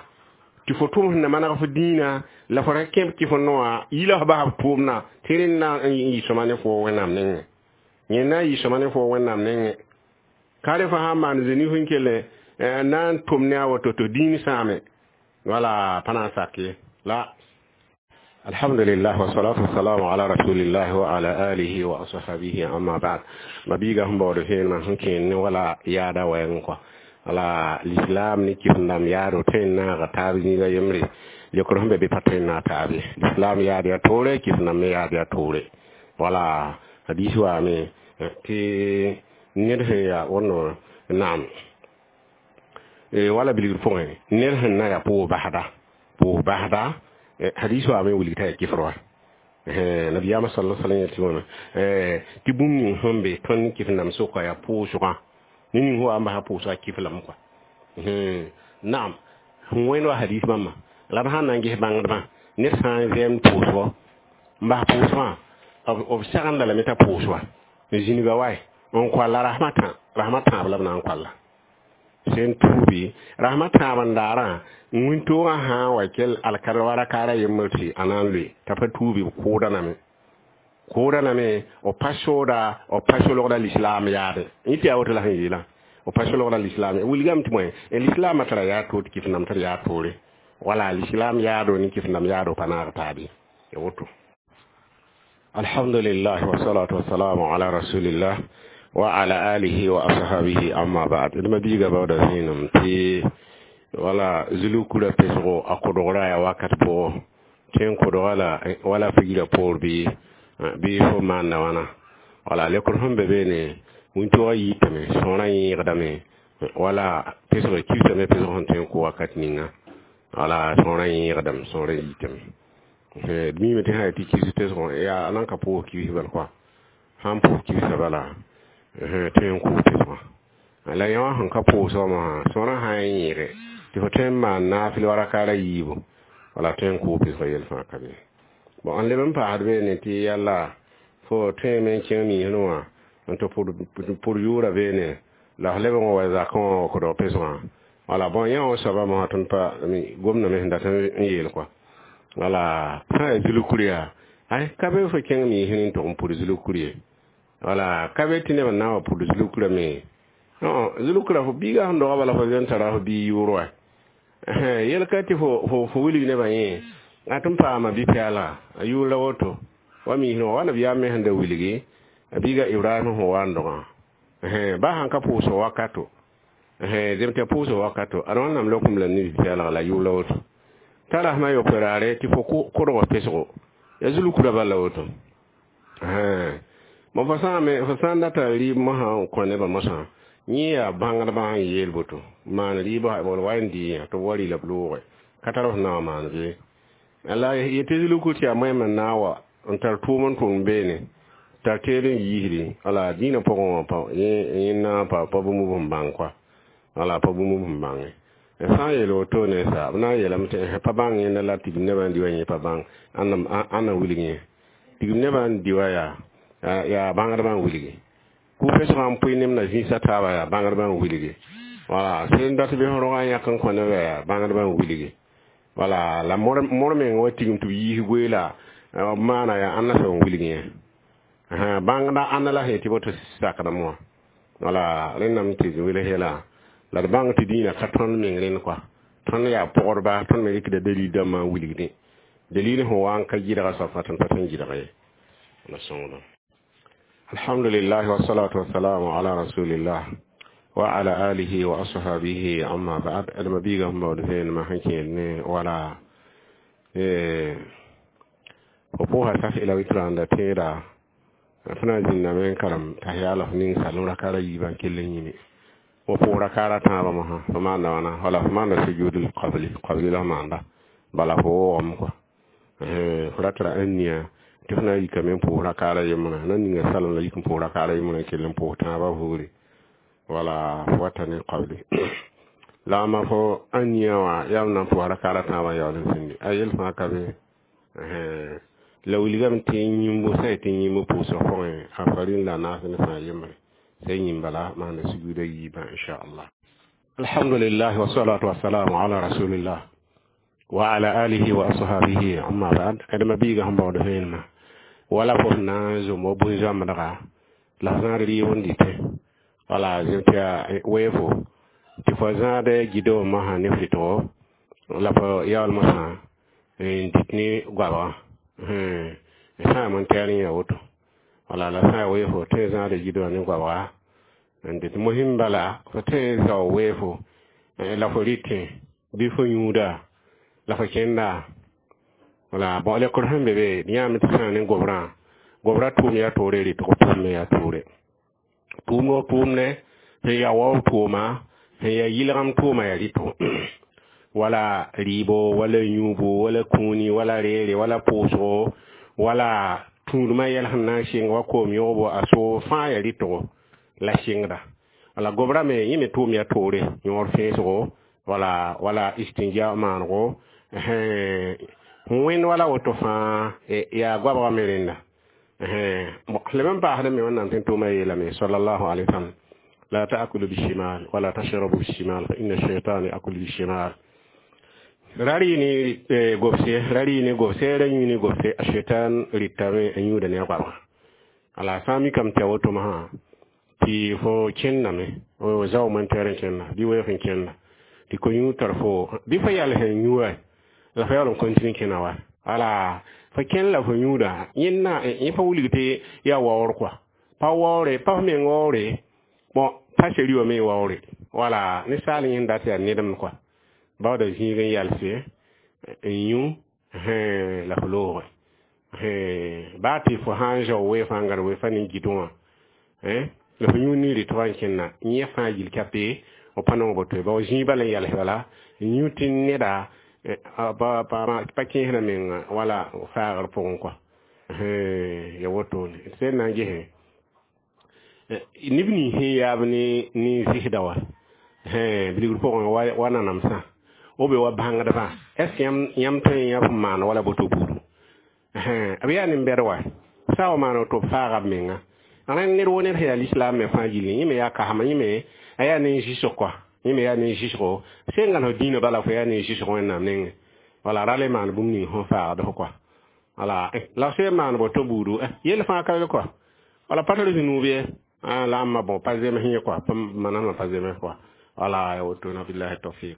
tɩ fo tʋm sẽn na maneg f dĩinã la fo ra kẽb tɩ fo noa yila f bas f tʋʋmdã tɩ rẽnd na n yɩ sõma ne fo wẽnnaam nengẽ yẽ na n yɩ sõma ne fo wẽnnaam nengẽ ka re fo sã n maan zeni sẽn kell na n tʋm ne a woto tɩ dĩin sãame wala pa na n sak ye la. Alhamdulillah wassalatu wassalamu ala rasulillah wa ala alihi wa ashabihi amma ba'd. Ma biiga sẽn baood vẽenemã sẽn kẽen ne wala yaada wɛɛngẽ kɔa wala l'islam ne kɩs-n-dãmb yaado tõe n naaga taab zĩiga yembre lekr sẽn be bɩ pa tõe n naag taab ye l'islam yaad yaa toore kɩs-n-dãmb me yaad yaa toore wala hadis waame tɩ ned sẽn yaa wõnno naam wala bilgr pʋgẽ ned sẽn na yaa pʋʋs basda pʋʋs basda hadis waame wilg t'a yaa kɩfr wa nabiyaamã sala sallam yetɩ wãna tɩ bũmb ning sẽn be tõnd ne kɩs-n-dãmb sʋka yaa pʋʋsgã ne ning sẽn wa n basa pʋʋsgã kɩf lame kɔa naam sẽn wẽnd wa hadis bãmba la b sãn na n ges bãngdbã ned sã n vɛɛmd pʋʋsgɔ n bas pʋʋsgã b sagenda lame t'a pʋʋs wa n zĩniga wae n koalla rasmã tã rasmã tãab la b na n koalla sẽn tuubi rasmã tãab n daarã wĩntoogã sã n wa kell alkar wa rakaara yembr tɩ a na n loe t'a pa tuubi b kʋʋda name kʋʋda name b pa sooda b pa solgda lislaam yaade yẽ tɩ yaa woto la sẽn yeelã b pa solgda lislaam wilgame tɩ bõe lislaamã tara yaa toor tɩ kɩs-n-dãmb tar yaa toore wala lislaam yaado ne kɩs-n-dãmb yaado pa naag taabe ya woto. Alhamdulillah wassalatu wassalamu ala rasulillah wa ala alihi wa ashabihi, amma ba'd. D mabiiga baooda zẽenem tɩ wala zulukura pesgo a kodgra yaa wakat pʋgɔ tɩ n kodga la wala figrã poor bɩ bɩ fo maanda wãna. Wala lekr sẽn be beene, wĩntogã yiitame, sõorã yẽegdame, wala pesg kibsame, pesg sẽn tõe n kʋ wakat ninga. Wala sõorã yẽegdame, sõorã yiitame. D miime tɩ sã yaa tɩ kibs pesgõ yaa a nan ka pʋʋs kibs bal koa, sãn pʋʋs kibsã bala tõe n kʋ pesgã. La yã wã sẽn ka pʋʋs wã mosã, sõorã sã n yẽege tɩ fo tõe n maan naafɩl wa rakaara yiibu, wala tõe n kʋ pesgã yel fãa ka be. Bon, n leb n paasd beene tɩ yalla fo tõeme n kẽng niisẽ wã n tɩ pʋr yʋʋra beene la f leb n wa zakẽ wã wa kodg pesgã. Wala bõn yã wã soaba mosã tõnd pa gomdame sẽn dat n yeel kɔa. Wala sã yaa zulkur yaa, ay ka be fo kẽng niisẽ n tʋg n pʋd zulkur ye. Wala ka be tɩ neb n na n wa pʋd zulukurã me. Zulukura fo biiga sẽn doga bala fo zen tara fo bii yʋʋr wa yel ka tɩ fo fo wilg nebã yẽ a tɩ n paama bi-pɛɛla a yʋʋr la woto wa miisẽ wã wa nabiyaam me sẽn da wilgi a biiga Ibrahim sẽn wa n dogã ba sãn ka pʋʋsg wakato zem tɩ pʋʋsg wakato ad Wẽnnaam lokem la ne bi-pɛɛlga la yʋʋr la woto t'a rasmã yope raare tɩ fo kodg pesgo ya zulukura bala woto. Bon, fo sã me fo sã n data rɩɩb mosã n kõ nebã mosã, yẽ yaa bãngdbã sẽn yeel boto maan rɩɩbã bol wa n dɩ yã tɩ b wa rɩ la b looge ka tar f na wã maan bɩ la yetɩ zulukur tɩ yaa moẽm n na n wa n tar tʋʋm n tʋm beene tar teed n yiisdi. Wala dĩinã pʋgẽ wã pa yẽ na pa pa bũmb b sẽn bãng koa, wala pa bũmb b sẽn bãnge. Sã n yeel woto ne sa b na n yeelame tɩ pa bãng yẽnda la tigim nebã n di wa yẽ pa bãng ãnna wilg yẽ tigim nebã n di wa yaa yaa bãngdbã n wilgi ku-pesgã n pʋɩ nemda zĩisã taaba yaa bãngdbã n wilgi. Wala sẽn dat bɩ rogã yãk n kõ nebã yaa bãngdbã n wilgi. Wala la mor meng wa tigim tɩ b yiis goeela b maana yaa ãnna soab n wilg yẽ bãngda ãnna la sẽn tɩ boto sakdame wã. Wala rẽndame tɩ wels yɛla la d bãng tɩ dĩinã ka tõnd meng rẽnd koa, tõnd yaa pʋgdba, tõnd me rɩkda dalil dãmbã n wilgdẽ dalil sẽn wa n ka gɩdga soab fãa tõnd pa tõe n gɩdg ye la sõngdo. Alhamdulillah wassalatu wassalamu ala rasulillah wa ala alihi wa ashabihi, amma ba'd. Adama biiga sẽn baood vẽenemã sẽn kẽed ne wala fo pʋʋsa saf ila witra n da tẽeda fo na n zĩndame n karem t'a yaala f ning salem rakaara yiibã n kell n yĩne fo pʋʋs rakaara tãabã mosã fo maanda wãna. Wala fo maanda sujudul qabli, qabli la f maanda bala fo woogame kɔa fo ra tara ãn nia tɩ f na n yikame n pʋʋs rakaara yembrã na ninga salem la yik n pʋʋs rakaara yembrã n kell n pʋʋs tãabã buuri. Wala fo wata ne qabli la ma fo ãn nia wã yaa m na n pʋʋs rakaara tãabã yaool n sĩndi a yel fãa ka be la wilgame tɩ yĩmbo sã tɩ yĩmb pʋʋsg pʋgẽ a farin la naas ne sã yembre sai yĩm bala maanda sujuuda yiibã, inchallah. Alhamdulillah wassalatu wassalamu ala rasulillah wa ala alihi wa ashabihi, amma ba'd. Adama biiga sẽn baood vẽenemã wala fo na n zom wa bũn-zãmbdga la f zãad rɩɩb n dɩtẽ wala zem tɩ yaa weefo tɩ fo zãad gɩdg mosã ne f rɩtgo la fo yaool mosã n dɩt ne goabgã sã yaa tɛɛr n yaa woto. Wala la sã yaa weefo tõe n zãada gɩdgã ne goabga n dɩt mosɩm bala fo tõe n zao weefo la fo rɩtẽ bɩ fo yũuda la fo kẽnda. Wala bon, lekr sẽn be be yãame tɩ sã ne gobrã gobrã tʋʋm yaa toore, rɩtg tʋʋm me yaa toore, tʋʋmd tʋʋmdɛ sẽn yaa wao tʋʋma sẽn yaa yɩlgem tʋʋma yaa rɩtgo wala rɩɩbo wala yũubo wala kũuni wala reere wala pʋʋsgo wala tũudmã yɛl sẽn na n sɩng wa koom yõgbo a soog fãa yaa rɩtgo la sɩngda. Wala gobrã me yẽ me tʋʋm yaa toore yõor fẽesgo wala wala istinja maanego wẽnd wala woto fãa yaa goabga me rẽnda. Leb n paasd me Wẽnnaam tɩ tʋʋma yeelame sallallahu alaihi wasallam: la ta'kulu bishimal wala tashrabu bishimal fa inna shaytana ya'kulu bishimal. Ra rɩ ne gobse, ra rɩ ne gobse, ra yũ ne gobse, a shaitan rɩtame n yũuda ne a goabga. Ala sã n mikame tɩ a woto mosã tɩ fo kẽndame zao moentɛɛr n kẽnda bɩ weoog n kẽnda tɩ ko-yũud tar fo bɩ fo yals n yũ wa la fo yaool n continue kẽna wa. Wala fo kẽn la fo yũuda yẽnna yẽ pa wilg tɩ yaa waoor kɔa pa waoore pa f meng waoore bon pa seri wã me waoore wala ninsaal yẽnd dat yaa nedem kɔa baooda zĩig n yalse n yũ la f looge baa tɩ fo sã n zao wee fãa n gãd wee fa nin-gɩt wã la fo yũ nin-rɩtbã n kẽnna yẽ fãa yil kape f pa nong boto ye bao zĩig bala n yals bala n yũ tɩ neda pa kẽesdã menga wala faagr pʋgẽ kɔa ya wotone d sẽn na n gesẽ neb nins sẽn yaab ne ne zɩsda wã bilgr pʋgẽ wa nanamsã b be wa bãngdbã est ce que yãmb tõe n yã f maan wala boto buudu b yaa nin-bɛd wa sã n wa maan woto b faaga b menga rẽnd ned wo ned sẽn yaa lislaam me fãa gilli yẽ me yaa kasma yẽ me a yaa nin-zɩsg kɔa yẽ me yaa nin-zɩsgo sẽn gãn f dĩinã bala fo yaa nin-zɩsg wẽnnaam nengẽ wala ra le maan bũmb ning sẽn faagd f kɔa wala la f sẽn maan boto buudu yell fãa ka be kɔa wala pa tar zũnuub ye la ãmba bon pa zems yẽ kɔa manasmã pa zems kɔa wala ya woto na billahi tawfiq.